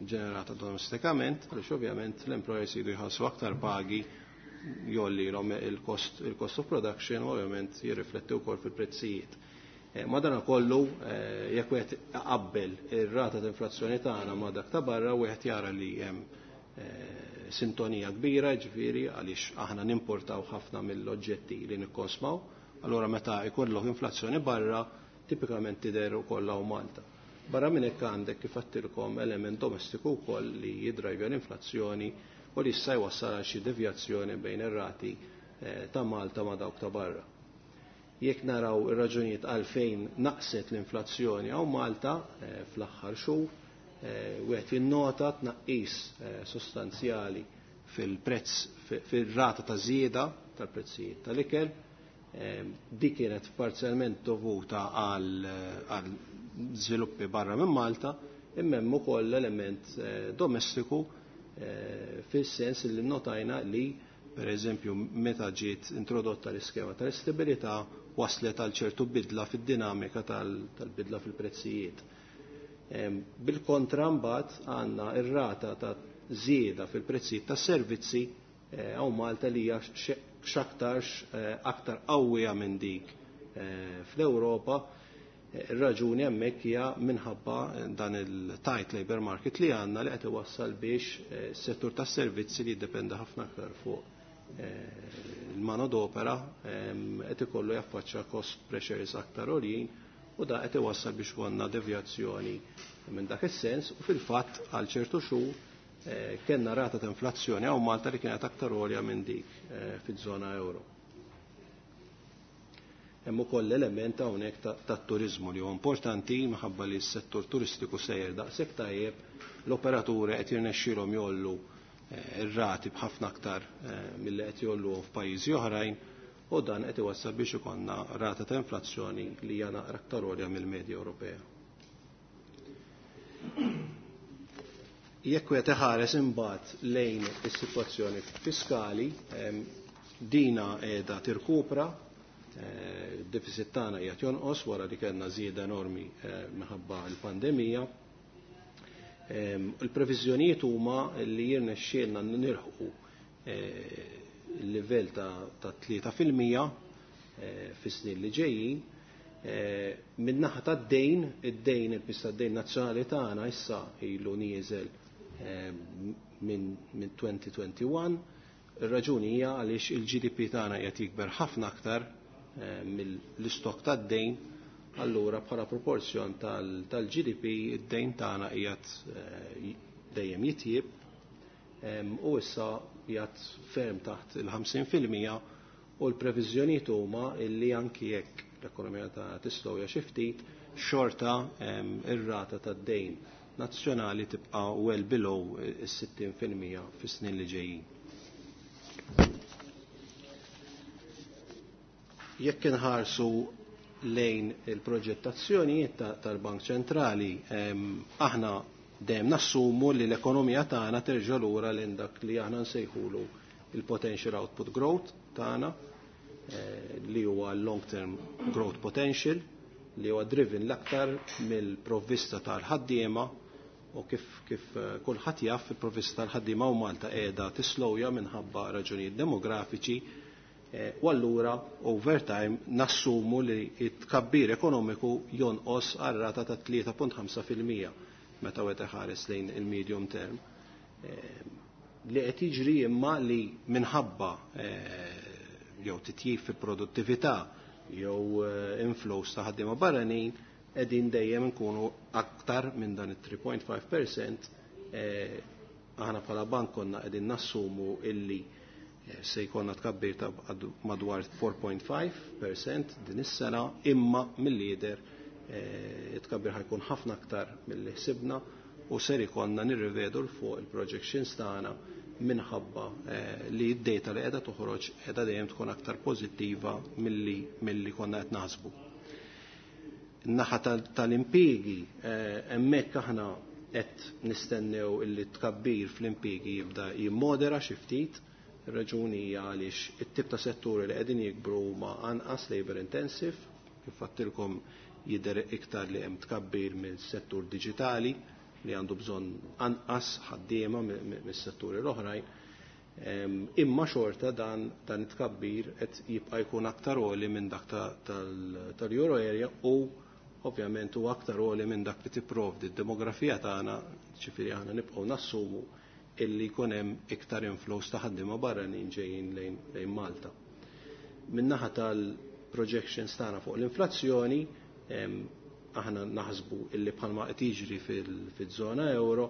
Speaker 3: ġenerata domestikament, għaliex ovvjament l-employers jridu jħallsu aktar pagi, jgħollilhom il-cost, il-cost of production u ovvjament jirrifletti wkoll fil-prezzijiet. Madanakollu, jekk wieħed iqabbel ir-rata ta' inflazzjoni tagħna ma' dak ta' barra, wieħed jara li hemm sintonija kbira, ġifieri għaliex aħna nimportaw ħafna mill-oġġetti li nikkonsmaw, allura meta jkollok inflazzjoni barra, tipikament tidher ukoll hawn Malta. Barra minn hekk għandek kif għedtilkom element domestiku wkoll li jidrajvja l-inflazzjoni u li issa jwassal għal xi devjazzjoni bejn ir-rati ta' Malta ma' dawk ta' barra. Jekk naraw ir-raġunijiet għalfejn naqset l-inflazzjoni hawn Malta fl-aħħar xhur, wieħed jinnota tnaqqis sostanzjali fil-prezz, fil-rata ta' żieda tal-prezzijiet tal-ikel. Dik kienet parzjalment dovuta għal żviluppi barra minn Malta, imma hemm ukoll element domestiku fis-sens li notajna li per eżempju meta ġiet introdotta l-iskema tal-istabilità waslet għal ċertu bidla fid-dinamika tal-bidla fil-prezzijiet. Bil-kontra mbagħad għandna ir-rata ta' żieda fil-prezzijiet tas-servizzi hawn Malta li hija x'aktarx aktar qawwija minn dik fl-Ewropa. Ir-raġuni hemmhekk hija minħabba dan il-tight labor market li għandna li qed iwassal biex is-settur tas-servizzi li jiddependa ħafna aktar fuq il-manodopera qed ikollu jaffaċċja cost pressures aktar għoljin u da qed iwassal biex konna devjazzjoni minn dak is-sens u fil-fatt għal ċertu xhur kellna rata ta' inflazzjoni hawn Malta li kienet aktar għolja minn dik fiż-żona euro. Hemm ukoll element hawnhekk tat-turiżmu li huwa importanti minħabba li s-settur turistiku sejjer daqshekk tajjeb, l-operaturi qed jirnexxielhom jollu ir-rati b'ħafna aktar milli qed jolluhom f'pajjiżi oħrajn u dan qed iwassal biex ikollna rata ta' inflazzjoni li hija naqra aktar għolja mill-medja Ewropea. Jekk wieħed iħares imbagħad lejn is-sitwazzjoni fiskali, dina qiegħda tirkupra, id-deficit tagħna qiegħed jonqos wara li kellna żieda enormi minħabba l-pandemija. Il-previżjonijiet huma li jirnexxielna nilħqu il-livell ta' tlieta fil-mija fis-snin li ġejjin. Min-naħa tad-dejn, id-dejn il-pis tad-dejn nazzjonali tagħna issa ilu nieżel minn twenty twenty-one. Ir-raġuni hija għaliex il-G D P tagħna qiegħed jikber ħafna aktar mill-istok tad-dejn, allura bħala proporzjon tal-G D P id-dejn tagħna qiegħed dejjem jitjieb u issa qiegħed ferm taħt il-ħamsin fil-mija u l-previżjonijiet huma li anki jekk l-ekonomija tagħna tislowja xi ftit, xorta ir-rata tad-dejn nazzjonali tibqa' well below is-sittin fil-mija fis-snin li ġejjin. Jekk inħarsu lejn il-proġettazzjonijiet tal-Bank Ċentrali, aħna dejjem nassumu li l-ekonomija tagħna terġa' lura lejn dak li aħna nsejħulu il-potential output growth tagħna, li huwa long term growth potential, li huwa driven l-aktar mill-provvista tal-ħaddiema u kif, kif kulħadd jaf il-provvista tal-ħaddiema u Malta qiegħda tislowja minħabba raġunijiet demografiċi, u allura over time nassumu li t-tkabbir ekonomiku jonqos għal rata ta' tlieta punt ħamsa fil-mija meta wieħed iħares lejn il-medium term. Li qed jiġri imma li minħabba jew titjib fil-produttività jew inflows ta' ħaddiema barranin qegħdin dejjem nkunu aktar minn dan it-three point five percent. Aħna bħala bank konna qegħdin nassumu illi se jkollna tkabbir ta' madwar four point five percent din is-sena, imma mill-lider it-tkabbir ħajkun ħafna aktar milli ħsibna u ser ikollna nirrivedu l fuq il-projections tagħna minħabba li d-data li qiegħda toħroġ qiegħda dejjem tkun aktar pożittiva milli, milli konna qed naħsbu. In-naħa tal-impjiegi hemmhekk aħna qed nistennew illi tkabbir fl-impjiegi jibda jimmodera xi ftit. Ir-raġuni hija għaliex it-tip ta' setturi li qegħdin jikbru huma anqas labor intensive, kif għedtilkom jidher iktar li hemm tkabbir mill-settur diġitali li għandu bżonn anqas ħaddiema mis-setturi l-oħrajn. Imma xorta dan, dan it-tkabbir qed jibqa' jkun aktar għoli minn dak tal-Euro area u ovvjament huwa aktar għoli minn dak li tipprovdi d-demografija tagħna, ġifieri aħna nibqgħu nassumu illi jkun hemm iktar inflows ta' ħaddiema barranin ġejjin lejn, lejn Malta. Min-naħa tal-projections tagħna fuq l-inflazzjoni, aħna naħsbu illi bħalma qed jiġri fil-żona euro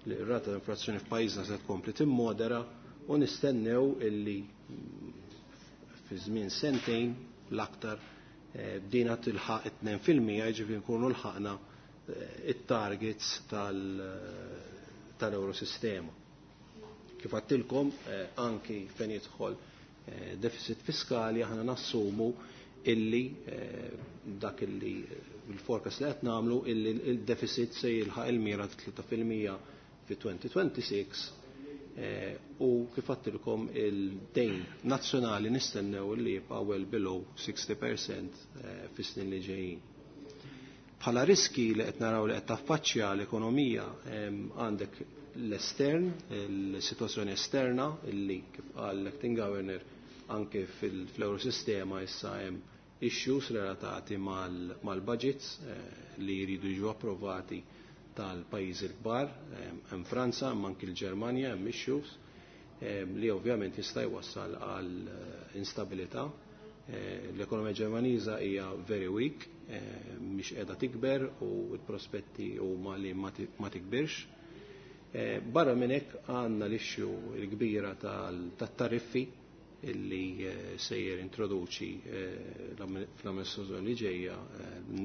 Speaker 3: li r-rata ta' inflazzjoni f'pajjiżna se tkompli timmodera u nistennew illi fi żmien sentejn l-aktar bdejna tilħaq it-tnejn fil-mija, jiġifieri nkunu lħaqna it-targets tal-Eurosistema. Kif għedtilkom, anki fejn jidħol deficit fiskali aħna nassumu illi dak illi il-forecast li qed nagħmlu illi il-deficit se jilħaq il-mira ta' tlieta fil-mija fi twenty twenty-six, u kif għedtilkom il-dejn nazzjonali nistennew li jibqa' well below sixty percent fis-snin li ġejjin. Bħala riski li qed naraw li qed taffaċċja l-ekonomija, għandek l-estern, il-sitwazzjoni esterna illi kif qal l-acting governor anke fil-Eurosistema issa hemm issues relatati mal-budgets li jridu jiġu approvati tal-pajjiżi l-kbar, hemm Franza, hemm anki l-Ġermanja, hemm issues. li ovvjament jista' jwassal għal instabilità. L-ekonomija Ġermaniża hija very weak, mhix qiegħda tikber u l-prospetti huma li ma tikbirx. Barra minn hekk għandna l-issue l-kbira tat-tariffi illi sejjer introduċi fl-amministrazzjoni li ġejja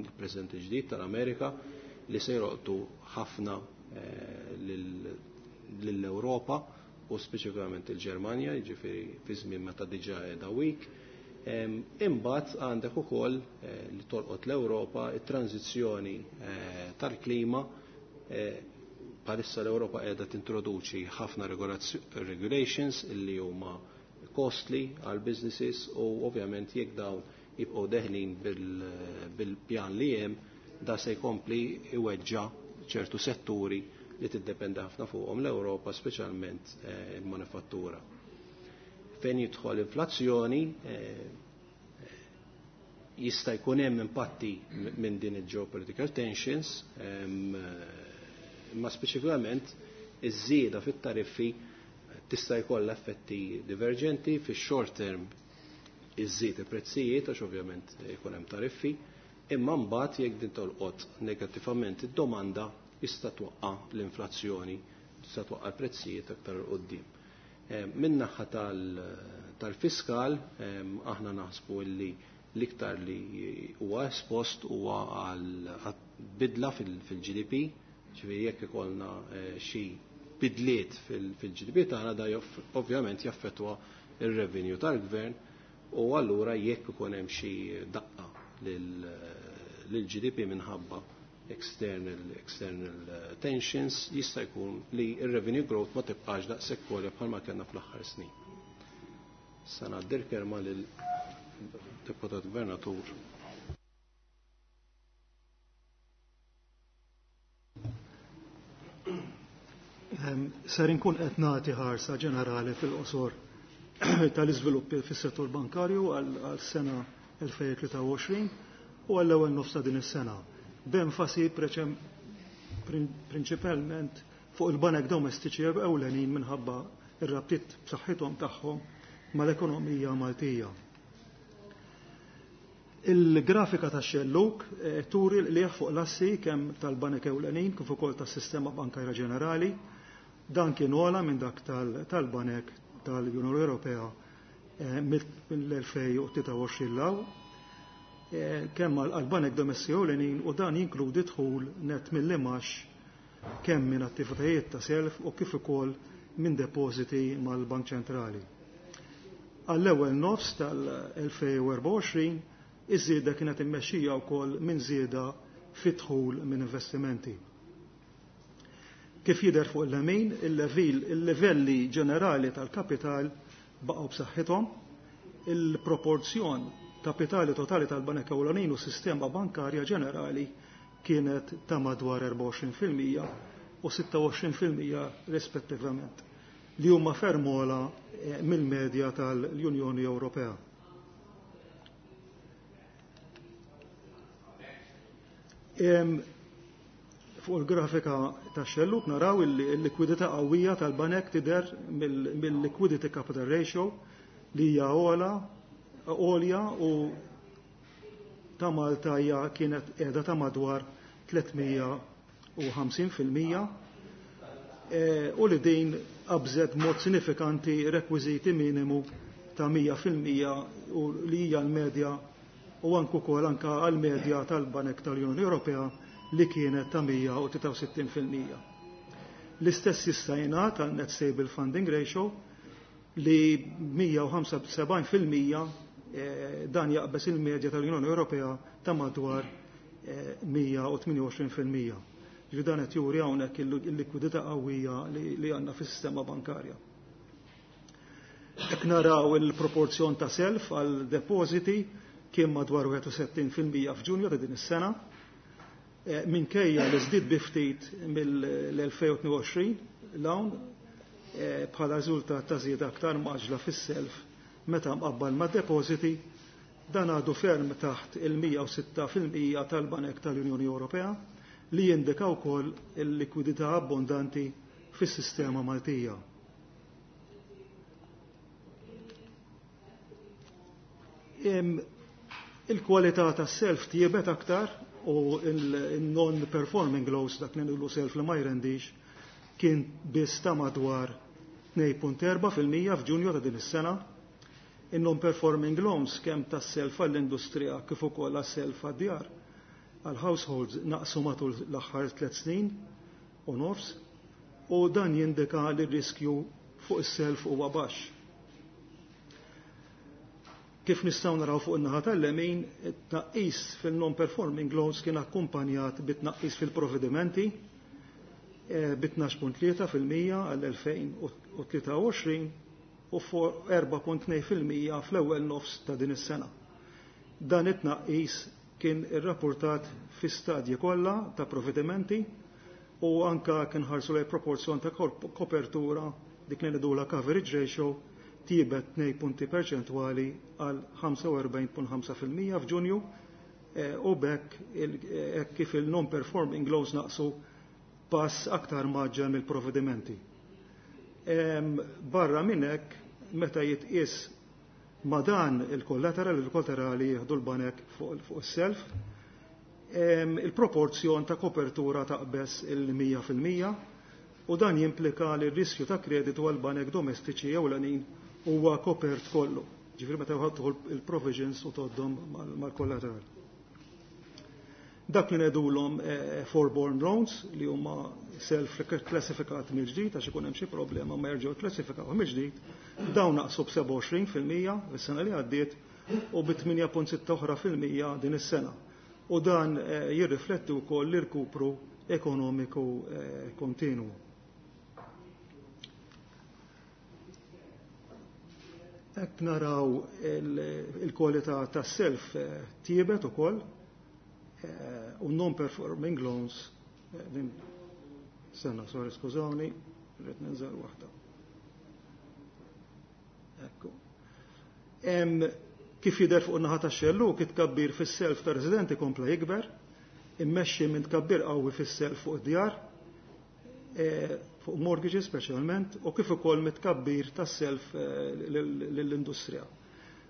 Speaker 3: il-President ġdid tal-Amerika li se jroqtu ħafna lill-Ewropa u speċifikament il-Ġermanja, jiġifieri fi żmien meta diġà qiegħda weak. Imbagħad għandek ukoll li tolqot l-Ewropa it-tranzizzjoni tal-klima. Bħalissa l-Ewropa qiegħda tintroduċi ħafna regulations illi huma costly għal businesses u ovvjament jekk dawn jibqgħu deħlin bil-pjan li hemm, da se jkompli iweġġa ċertu setturi li tiddependa ħafna fuqhom l-Ewropa, speċjalment il-manifattura. Fejn jidħol inflazzjoni, jista' jkun hemm impatti minn din il-geopolitical tensions, imma speċifikament iż-żieda fit-tariffi tista' jkollha effetti diverġenti. Fix-short term iżżid il-prezzijiet għax ovvjament jkun hemm tariffi, imma mbagħad jekk din tolqot negattivament id-domanda jista' twaqqa' l-inflazzjoni, tista' twaqqa' l-prezzijiet aktar 'il quddiem. Min-naħa tal-fiskal aħna naħsbu li l-iktar li huwa espost huwa għal bidla fil-G D P, ġifieri jekk ikollna xi bidliet fil-G D P tagħna da ovvjament jaffettwa ir-revenue tal-gvern u allura jekk ikun hemm xi daqqa lil-G D P minħabba external, external tensions, jista' jkun li r-revenue growth ma tibqax daqshekk għolja bħalma kellna fl-aħħar snin. Sa ngħaddi l-kelma lil-Deputat Gvernatur.
Speaker 5: Ser inkun qed nagħti ħarsa ġenerali fil-qosor tal-iżviluppi fis-settur bankarju għal sena elfejn tlieta u għoxrin u għall-ewwel nofs ta' din is-sena, b'enfasi prinċipalment fuq il-banek domestiċi ewlenin minħabba ir-rabtiet b'saħħithom tagħhom mal-ekonomija Maltija. Il-grafika ta' xelluk turi li fuq l-assi kemm tal-banek ewlenin kif ukoll tas-sistema bankarja ġenerali. Dan kien ogħla minn dak tal-banek tal-Unjoni Ewropea mill-elfejn u tlieta u għoxrin law, kemm għall-banek domestiċi ewlenin, u dan jinkludi dħul net mill-imax kemm minn attivitajiet ta' self u kif ukoll minn depożiti mal-Bank Ċentrali. Għall-ewwel nofs tal-elfejn u erbgħa u għoxrin iż-żieda kienet immexxija wkoll minn żieda fid-dħul minn investimenti. Kif jidher fuq il-lemin, il-livelli ġenerali tal-kapital baqgħu b'saħħithom, il-proporzjon kapitali totali tal-banek ewlenin u sistema bankarja ġenerali kienet ta' madwar erbgħa u għoxrin fil-mija u sitta u għoxrin fil-mija rispettivament, li huma ferm ogħla mill-medja tal-Unjoni Ewropea. Fuq il-grafika ta' xelluk naraw il-likwidità qawwija tal-banek tidher mill-liquidity capital ratio li hija ogħla għolja u ta' Malta hija kienet qiegħda ta' madwar tliet mija u ħamsin fil-mija, u li din qabżet mod sinifikanti rekwiżiti minimu ta' mija fil-mija u li hija l-medja u anke wkoll anke għall-medja tal-Banek tal-Unjoni Ewropea li kienet ta' mija u tlieta u sittin fil-mija. L-istess jista' jingħad għal net stable funding ratio li mija u ħamsa u sebgħin fil-mija dan jaqbeż il-medja tal-Unjoni Ewropea ta' madwar mija u tmien u għoxrin fil-mija. Ġifieri dan qed juri hawnhekk il-likwidità qawwija li għandna fis-sistema bankarja. Hekk naraw il-proporzjon ta' self għal depożiti kien madwar wieħed u sittin fil-mija f'Ġunju ta' din is-sena, minkejja li żdied bi ftit mill-elfejn u tnejn u għoxrin l-hawn bħala riżultat ta' żieda aktar maġla fis-self meta mqabbal ma' depożiti, dan għadu ferm taħt il-mija u sitta fil-mija tal-Banek tal-Unjoni Ewropea li jindika wkoll il-likwidità abbondanti fis-sistema Maltija. Il-kwalità tas-self tjiebet aktar u il-non-performing loans, dak li ngħidu self li ma jrendix, kien biss ta' madwar tnejn punt erba' fil-mija f'Ġunju ta' din is-sena. Il-non-performing loans kemm tas-self għall-industrija kif ukoll għas-self għad-djar għall-households naqsu matul l-aħħar tliet snin u nofs, u dan jindika li r-riskju fuq is-self huwa baxx. Kif nistgħu naraw fuq in-naħa tal-lemin, it-tnaqqis fil-non-performing loans kien akkumpanjat bit-tnaqqis fil-provvedimenti bi tnax punt tlieta fil-mija għall-elfejn u tlieta u għoxrin u erba' punt tnejn fil-mija fl-ewwel nofs ta' din is-sena. Dan it-tnaqqis kien irrapportat fi stadji kollha ta' provvedimenti u anka kien ħarsu lejn proporzjon ta' kopertura, dik li ngħidulha coverage ratio, tjiebet tnejn punti perċentwali għal ħamsa u erbgħin punt ħamsa fil-mija f'Ġunju, u b'hekk hekk kif il-non-performing loans naqsu pass aktar maġġel mill-provvedimenti. Barra minn hekk, meta jitqies ma' dan il-kollateral, il-kollaterali jieħdu l-banek fuq is-self, il-proporzjon ta' kopertura taqbeż il-mija fil-mija, u dan jimplika li r-riskju ta' kreditu għal banek domestiċi ewlenin huwa kopert kollu. Ġifieri meta jħottu il-provisions u toddhom mal-kollateral. Dak li ngħidulhom forborne loans, li huma self klassifikat mill-ġdid għax ikun hemm xi problema ma jerġgħu klassifikaw mill-ġdid, dawn naqsu b'sebgħa u għoxrin fil-mija is-sena li għaddiet u bi tmienja punt sitta oħra fil-mija din is-sena. U dan jirrifletti wkoll l-irkupru ekonomiku kontinwu. Hekk naraw il-kwalità tas-self tjiebet ukoll, u non-performing loans, din sena, sorry, skużawni, rrid ninżel waħda. Ekku. Kif jidher fuq in-naħa tax-xellug, it-tkabbir fis-self ta' residenti kompla jikber, immexxi minn tkabbir qawwi fis-self fuq id-djar, fuq mortgages speċjalment, u kif ukoll mit-tkabbir tas-self lill-industrija.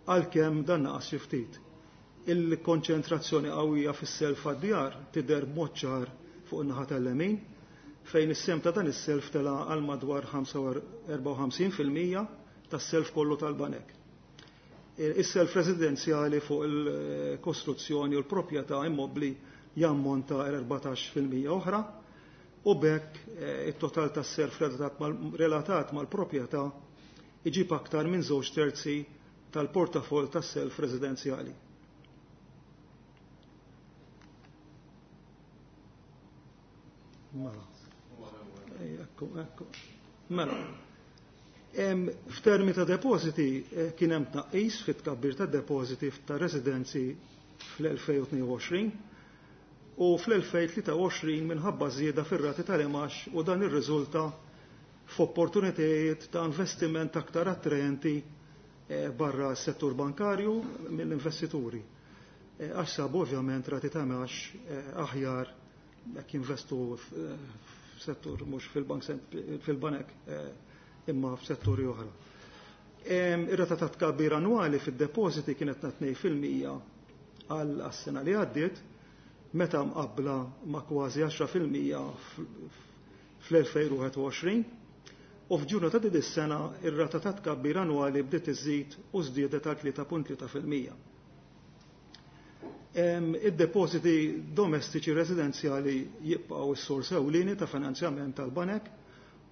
Speaker 5: Għalkemm dan naqas xi ftit. Il-konċentrazzjoni qawwija fis-self għad-djar tidher b'mod ċar fuq in-naħa tal-lemin, fejn is-sem ta' dan is-self tela' għal madwar ħamsa u erbgħa u ħamsin fil-mija tas-self kollu tal-banek. Is-self residenzjali fuq il-kostruzzjoni u l-proprjetà immobbli jammonta għal erbatax fil-mija oħra, u b'hekk it-total tas-self relatat mal-proprjetà iġib aktar minn żewġ terzi tal-portafol tas-self residenzjali. Mela. Ekku, ekku. Mela. F'termi ta' depositi kien hemm tnaqqis fit-tkabbir ta' depositi ta' residenzi fl-elfejn u tnejn u għoxrin u fl-elfejn tlieta u għoxrin minħabba żieda fir-rati tal-imax, u dan irriżulta f'opportunitajiet ta' investiment aktar attraenti barra s-settur bankarju mill-investituri. Għax sabu ovvjament rati ta' imax aħjar jekk jinvestu f'settur mhux fil-bank fil-banek imma f'setturi oħra. Ir-rata ta' tkabbir annwali fid-depositi kienet ta' tnejn fil-mija għal għas-sena li għaddiet, meta mqabbla ma' kważi għaxra fil-mija fl-elfejn u wieħed u għoxrin, u f'Ġunju ta' din is-sena ir-rata ta' tkabbir annwali bdiet iżid u żdiedet għal tlieta punt tlieta fil-mija. Id-depositi domestiċi residenzjali jibqgħu s-sors ewlieni ta' finanzjament tal-banek,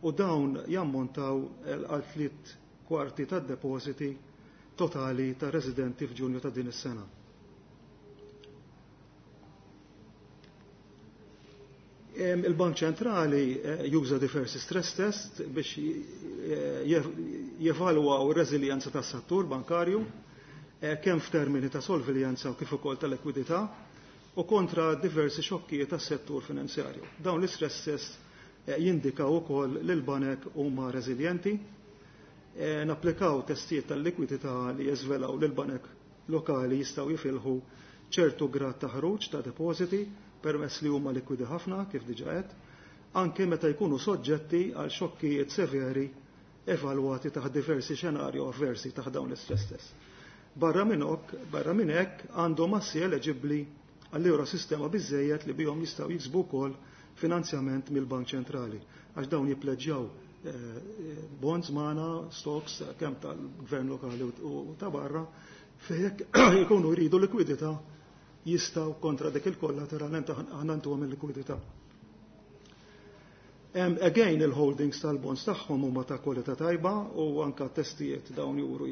Speaker 5: u dawn jammontaw għal tliet kwarti tad-depositi totali ta' residenti f'Ġunju ta' din is-sena. Il-Bank Ċentrali juża diversi stress test biex jevalwaw ir-reżiljenza tas-settur bankarju, kemm f'termini ta' solviljanza u kif ukoll ta' likwidità, u kontra diversi xokkijiet tas-settur finanzjarju. Dawn l-istress test jindikaw ukoll li l-banek huma reżiljenti. Napplikaw testijiet tal-likwidità li jeżvelaw li l-banek lokali jistgħu jifilħu ċertu grad ta' ħruġ ta' depositi permess li huma likwidi ħafna, kif diġà għedt, anke meta jkunu soġġetti għal xokkijiet severi evalwati taħt diversi xenarju avversi taħt dawn l-istress test. Barra minn barra minn hekk għandhom assi eleġibbli għall-Eurosistema biżejjed li bihom jistgħu jiksbu wkoll finanzjament mill-Bank Ċentrali għax dawn jippleġġjaw eh, bonds magħna, stocks kemm tal-gvern lokali u ta' barra fejn jkunu jridu likwidità jistgħu kontra dik il-kollateral aħna ntuhom il-likwidità. Again, il-holdings tal-bonds tagħhom huma ta' kwalità tajba u anka testijiet dawn juru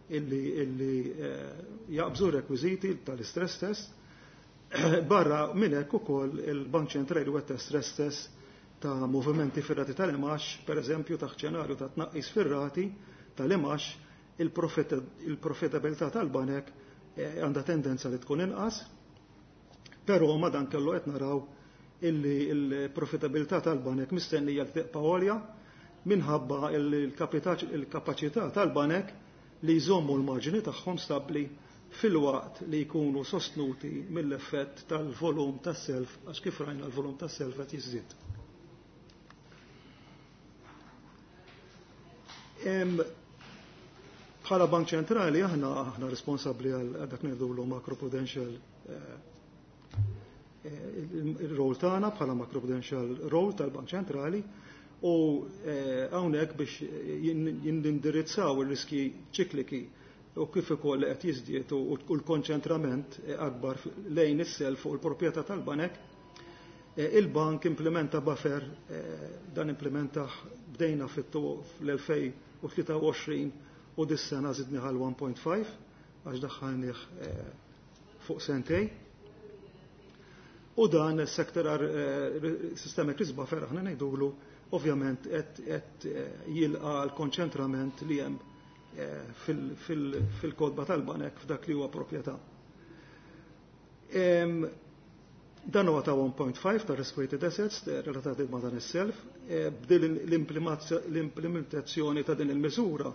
Speaker 5: illi, illi eh, jaqbżu rekwiżiti tal-istress test. Barra minn hekk ukoll il-Bank Ċentrali wetta stress test ta' movimenti fir-rati tal-imax, per eżempju ta' xenarju ta' tnaqqis fir-rati tal-imax, il-profitabilità tal-banek eh, għandha tendenza li tkun inqas, però ma dan kellu qed naraw illi l-profitabilità tal-banek mistennija li tibqa' għolja minħabba il-kapaċità tal-banek li jżommu l-marġini tagħhom stabbli filwaqt li jkunu sostnuti mill-effett tal-volum tas-self għax kif rajna l-volum tas-self qed jiżdied. Bħala Bank Ċentrali aħna aħna responsabbli għal dak ngħidulu macroprudential eh, il-rol tagħna bħala macroprudential role tal-Bank Ċentrali u eh, hawnhekk biex jindirizzaw ir-riski ċikliki u kif ukoll qed jiżdied u l-konċentrament akbar lejn is-self fuq il-proprjetà tal-banek, eh, il-bank implementa buffer eh, dan implementa bdejna fl-elfejn u tlieta u għoxrin u dis-sena żidni għal one point five għax daħħalnih fuq sentej. U dan is-sektor systemic risk buffer aħna ngħidulu ovvjament qed jilqa l-konċentrament li hemm fil-kodba tal-banek f'dak li huwa proprjetà. Dan huwa ta' one point five ta' risk-weighted assets relatati ma' dan is-self. B'din l-implementazzjoni ta' din il-miżura,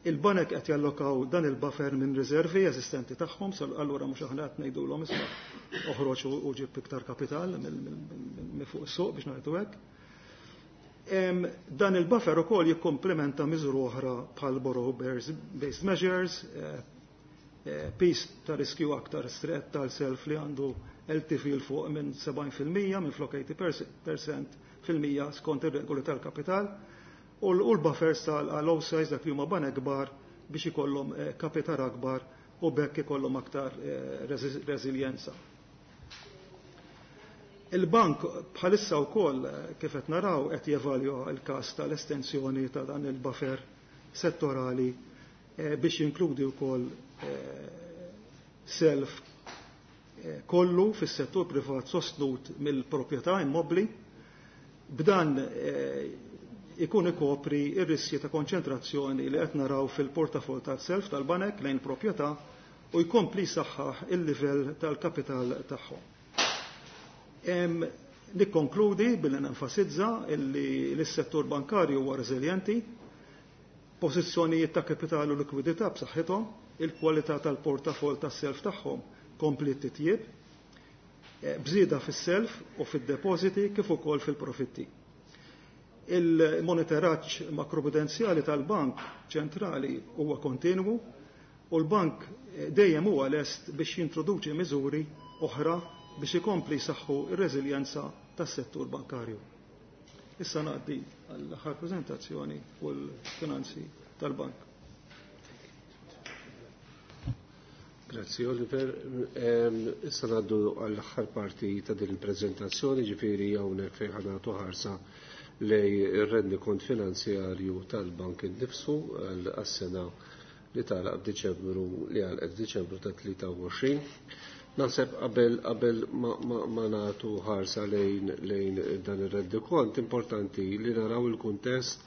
Speaker 5: il-banek qed jallokaw dan il-buffer minn riservi eżistenti tagħhom, allura mhux aħna qed ngħidulhom isma' oħroġ u ġib iktar kapital minn fuq is-suq biex ngħidu hekk. Dan il-buffer ukoll jikkomplementa miżuri oħra bħal borrow based measures, eh, eh, piż ta' riskju aktar strett tal-self li għandu L T V l fuq minn sebgħin fil-mija minn flok eighty percent fil-mija skont ir-regoli tal-kapital, u l-buffers tal-low size dak li huma banek kbar biex ikollhom, eh, kapital akbar u bekk ikollhom aktar, eh, reżiljenza. Il-bank bħalissa wkoll, eh, kif qed naraw qed jevalwa l-każ tal-estensjoni ta' dan il-buffer settorali, eh, biex jinkludi wkoll, eh, self, eh, kollu fis-settur privat sostnut mill-proprjetà immobbli, b'dan, eh, ikun ikopri ir-riskji ta' konċentrazzjoni li qed naraw fil-portafol tal-self tal-banek lejn proprjetà u jkompli saħħaħ il-livell tal-kapital tagħhom. Em, nikkonkludi billi nenfasizza illi l-settur bankarju huwa reżiljenti, pożizzjonijiet ta' kapital u likwidità b'saħħithom, il-kwalità tal-portafol tas-self tagħhom kompli titjieb, eh, bżieda fis-self u fid-depożiti kif ukoll fil-profitti. Il-monitoraġġ makroprudenzjali tal-Bank Ċentrali huwa kontinwu u l-bank dejjem huwa lest biex jintroduċi miżuri oħra biex ikompli jsaħħu r-reżiljenza tas-settur bankarju. Issa ngħaddi għall-aħħar preżentazzjoni fuq il-finanzi tal-bank.
Speaker 2: Grazzi Oliver. Ehm, issa ngħaddu għall-aħħar parti ta' din il-preżentazzjoni, ġifieri hawnhekk fejn ħa nagħtu ħarsa lej ir-rendikont finanzjarju tal-bank innifsu għas-sena li tagħlaq f'Diċembru li għalqet f'Diċembru ta' tlieta u għoxrin. Naħseb qabel, qabel ma, ma, ma nagħtu ħarsa lejn, lejn dan ir-rendikont, importanti li naraw il-kuntest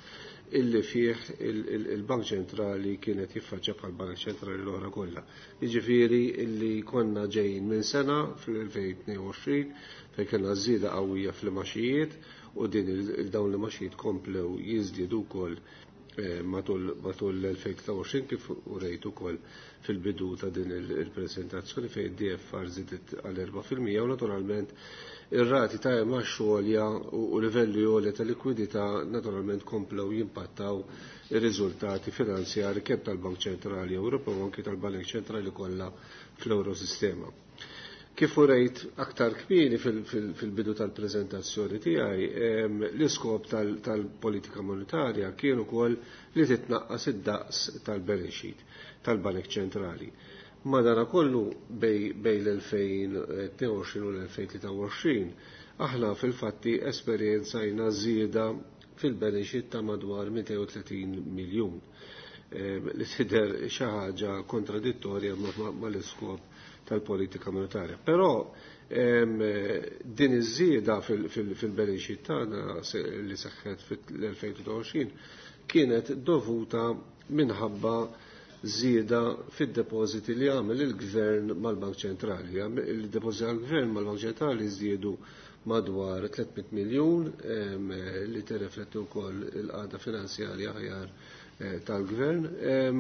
Speaker 2: illi fih il-, il-, il-Bank Ċentrali kienet jiffaċċja bħal Bank Ċentrali l-oħra kollha. Jiġifieri illi konna ġejjin minn sena fl-elfejn tnejn u għoxrin fejn kellna żieda qawwija fl-imaxijiet u din il-, dawn l-imaxijiet komplew jiżdiedu wkoll matul l-elfejn tlieta u għoxrin kif urejt ukoll fil-bidu ta' din il-prezentazzjoni fejn D F R żiedet għal erba' fil-mija u naturalment ir-rati ta' imgħax għolja u livelli għolja ta' likwidità naturalment komplew jimpattaw ir-riżultati finanzjari kemm tal-Bank Ċentrali Ewropew u anki tal-Bank Ċentrali kollha fl-Eurosistema. Kif urejt aktar kmieni fil-bidu tal-prezentazzjoni tiegħi, l-iskop tal-politika monetarja kien ukoll li titnaqqas id-daqs tal-balance sheet tal-Bank Ċentrali. Madanakollu bejn l-elfejn tnejn u għoxrin u l-elfejn tlieta u għoxrin aħna fil-fatti esperjenzajna żieda fil-balance sheet ta' madwar mitejn u tletin miljun li tidher xi ħaġa kontradittorja mal-iskop tal-politika monetarja. Però din iż-żieda fil-balance sheet tagħna li seħħet fil-elfejn tlieta u għoxrin kienet dovuta minħabba żieda fid-depożiti li għamel il-gvern mal-Bank Ċentrali. Il-depożiti għal-gvern mal-Bank Ċentrali żdiedu madwar tliet mitt miljun li tirrifletti wkoll il-qagħda finanzjarja aħjar tal-gvern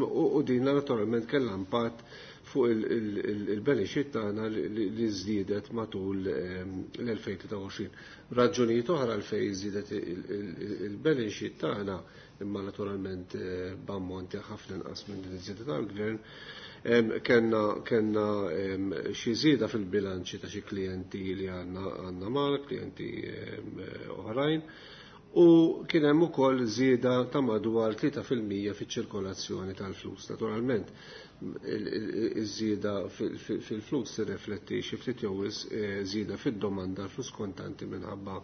Speaker 2: u din naturalment kellha impatt fuq il-balance sheet tagħna li żdiedet matul l-elfejn tlieta u għoxrin. Raġunijiet oħra għalfejn żdiedet il-balance sheet tagħna, imma naturalment b'ammonti ħafna inqas minn din iż-żieda tal-gvern, kellna kellna xi żieda fil-bilanċi ta' xi klijenti li għandna għandna mal klijenti oħrajn, u kien hemm ukoll żieda ta' madwar tlieta fil-mija fiċ-ċirkolazzjoni tal-flus. Naturalment iż-żieda fil-flus tirrifletti xi ftit jew żieda fid-domanda flus kontanti minħabba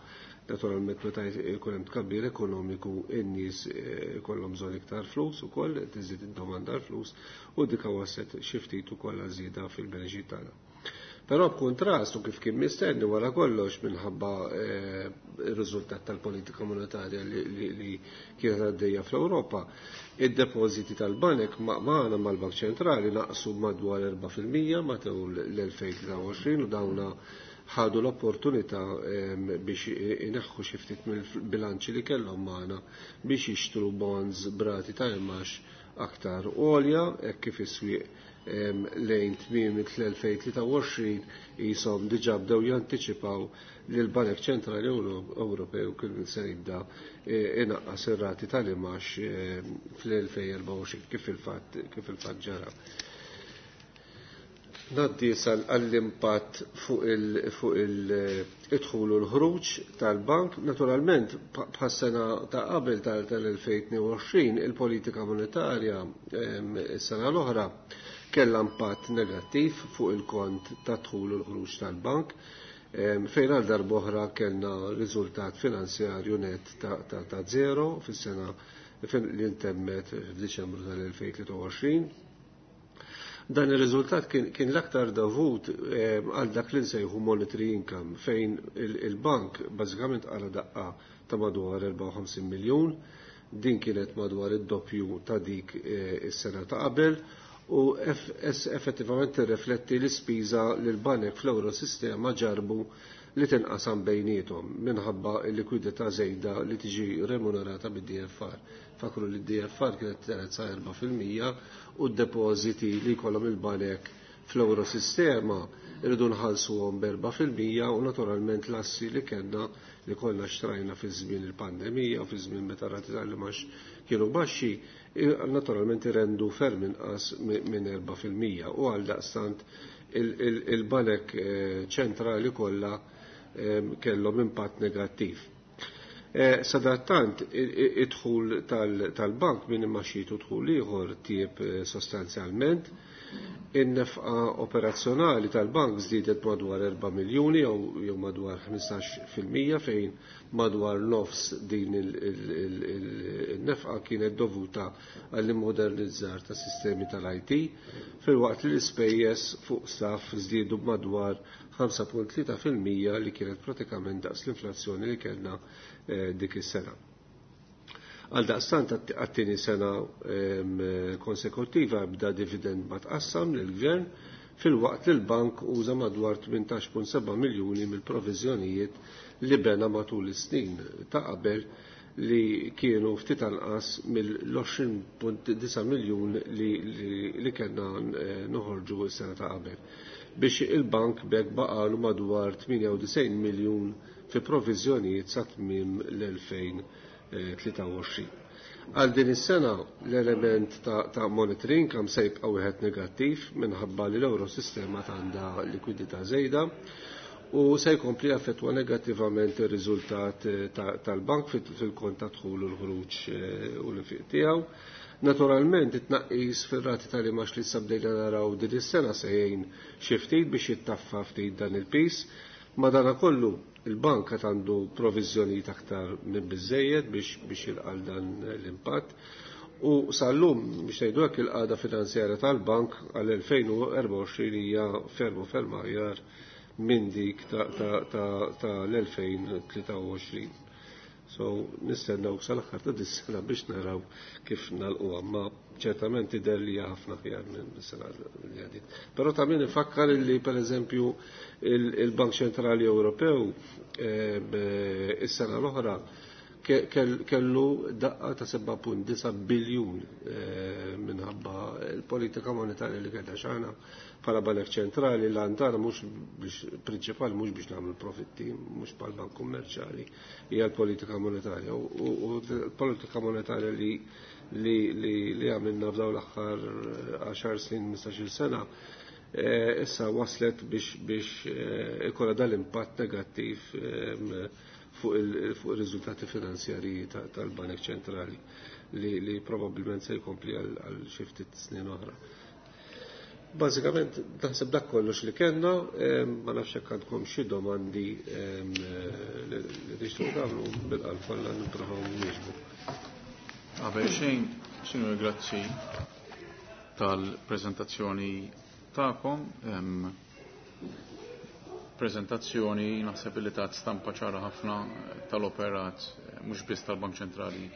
Speaker 2: naturalment meta jkun hemm tkabbir ekonomiku, in-nies ikollhom bżonn iktar flus ukoll, tiżid id-domanda l-flus u dik waslet xi ftit ukoll żieda fil-balance sheet tagħna. Però b'kuntrast u kif kien mistenni wara kollox minħabba ir-riżultat tal-politika monetarja li kienet għaddejja fl-Ewropa, id-depożiti tal-banek magħna mal-Bank Ċentrali naqsu madwar erba' fil-mija matul l-elfejn tlieta u għoxrin u dawna ħadu l-opportunità biex ineħħu xi ftit mill-bilanċi li kellhom magħna biex jixtru bonds b'rati ta' imgħax aktar għolja, hekk kif is-swieq lejn tmiem l-elfejn tlieta u għoxrin jisom diġà bdew jantiċipaw li l-Banek Ċentrali Ewropew kien se jibda inaqqas ir-rati tal-imgħax fl-elfejn erbgħa u għoxrin kif il-fatt kif il-fatt ġara. Ngħaddi għall-impatt fuq il-dħul u l-ħruġ tal-bank. Naturalment, bħas-sena ta' qabel tal-elfejn tnejn u għoxrin, il-politika monetarja is-sena l-oħra kellha impatt negattiv fuq il-kont ta' dħul u l-ħruġ tal-bank, fejn għal darb'oħra kellna riżultat finanzjarju net ta' zero fis-sena li ntemmet f'Diċembru tal-elfejn tlieta u għoxrin. Dan ir-riżultat kien l-aktar dovut għal dak li nsejħu monetary income, fejn il-bank bażikament għala daqqa ta' madwar erbgħa u ħamsin miljun, din kienet madwar id-doppju ta' dik is-sena ta' qabel u effettivament tirrifletti l-ispiża li l-banek fl-Eurosistema ġarbu li tinqasam bejniethom minħabba l-likwidità żejda li tiġi remunerata bid-D F R. Fakru li d-D F R kienet telet sa erba' fil-mija u d-depożiti li jkollhom il-banek fl-Eurosistema irridu nħallsuhom b'erba' fil-mija u naturalment l-assi li kellna, li konna xtrajna fi żmien il-pandemija u fi żmien meta rati tal-imgħax kienu baxxi, naturalment irendu ferm inqas minn erba' fil-mija u għal daqstant il-banek ċentrali kollha kellhom impatt negattiv. Sadattant, id-dħul tal-bank minn imgħaxijiet u dħul ieħor tjieb sostanzjalment. In-nefqa operazzjonali tal-bank żdiedet madwar erba' miljuni jew madwar ħmistax fil-mija, fejn madwar nofs din il-nefqa kienet dovuta għall-immodernizzar ta' sistemi tal-I T, filwaqt li l-ispejjeż fuq staff żdiedu b'madwar ħamsa punt tlieta fil-mija li kienet pratikament daqs l-inflazzjoni li kellna dik is-sena. Għal daqstant, għat-tieni sena konsekutiva bda dividend ma tqassam lill-gvern, filwaqt li l-bank uża madwar tmintax punt seba' miljuni mill-proviżjonijiet li bena matul is-snin ta' qabel li kienu ftit anqas mill-għoxrin punt disa' miljun li, li, li kellna noħorġu s-sena ta' qabel. Biex il-bank b'hekk baqalu madwar tmienja u disgħin miljun fi proviżjonijiet sa tmiem l-elfejn tlieta u għoxrin. Għal din is-sena l-element ta', ta' monetary income se jibqa' wieħed negattiv minħabba li l-Eurosistema għandha likwidità żejda u se jkompli affettwa negattivament ir-riżultat tal-bank fil-kont ta' dħul u l-ħruġ u l-infiq tiegħu. Naturalment it-tnaqqis fir-rati tal-imax li sabdejna naraw din is-sena se jgħin xi ftit biex jittaffa ftit dan il-pis. Madanakollu il-bank qed għandu proviżjonijiet aktar minn biżejjed biex biex jilqal dan l-impatt. U sal-lum biex ngħidu hekk il-qagħda finanzjarja tal-bank għal elfejn u erbgħa u għoxrin hija ferm u ferm aħjar minn dik ta' l-elfejn tlieta u għoxrin. So nistennew sal-aħħar ta' dis-sena biex naraw kif nagħlquha, ma ċertament tidher li hija ħafna aħjar minn sena li għaddiet. Però ta' min ifakkar li pereżempju il-Bank Ċentrali Ewropew is-sena l-oħra kellu daqqa ta' seba' punt disa' biljun minħabba l-politika monetarja li kellha x'aħna bħala Banek Ċentrali l-għan tagħna mhux biex prinċipali mhux biex nagħmlu profitti, mhux bħal bank kummerċjali, hija l-politika monetarja. U l-politika monetarja li li li li għamilna f'dawn l-aħħar għaxar snin, ħmistax-il sena, issa waslet biex biex ikollha dal-impatt negattiv fuq il-riżultati finanzjarji tal-Banek Ċentrali li li probabbilment se jkompli għal xi ftit snin oħra. Bażikament naħseb dak kollox li kellna, ma nafx hekk għandkom xi domandi li tixtiequ tagħmlu bil-qalb kollha nippruvaw nwieġbu.
Speaker 1: Qabel xejn, Sinjur, grazzi tal-preżentazzjoni tagħkom. Prezentazzjoni naħseb li tat stampa ċara ħafna tal-operat mhux biss tal-Bank Ċentrali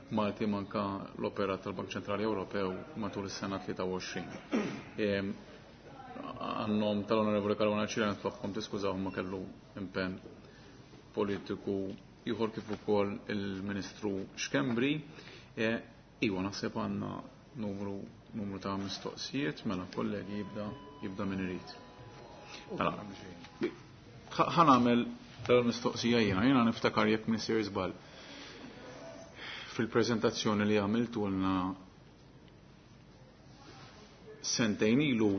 Speaker 1: Malti manka l-operat tal-Bank Ċentrali Ewropew matul is-sena tlieta u għoxrin. Għannom tal-Onorevoli Caruana Ċirena nitlobkom tiskużaw ma kellu impenn politiku ieħor kif ukoll il-Ministru Schembri. Iwa naħseb għandna numru, numru ta' mistoqsijiet, mela kollegi jibda, jibda min irid. Mela, ħa nagħmel tal-mistoqsija jiena, jiena niftakar jekk Minister żball. Fil-preżentazzjoni li għamiltulna sentejn ilu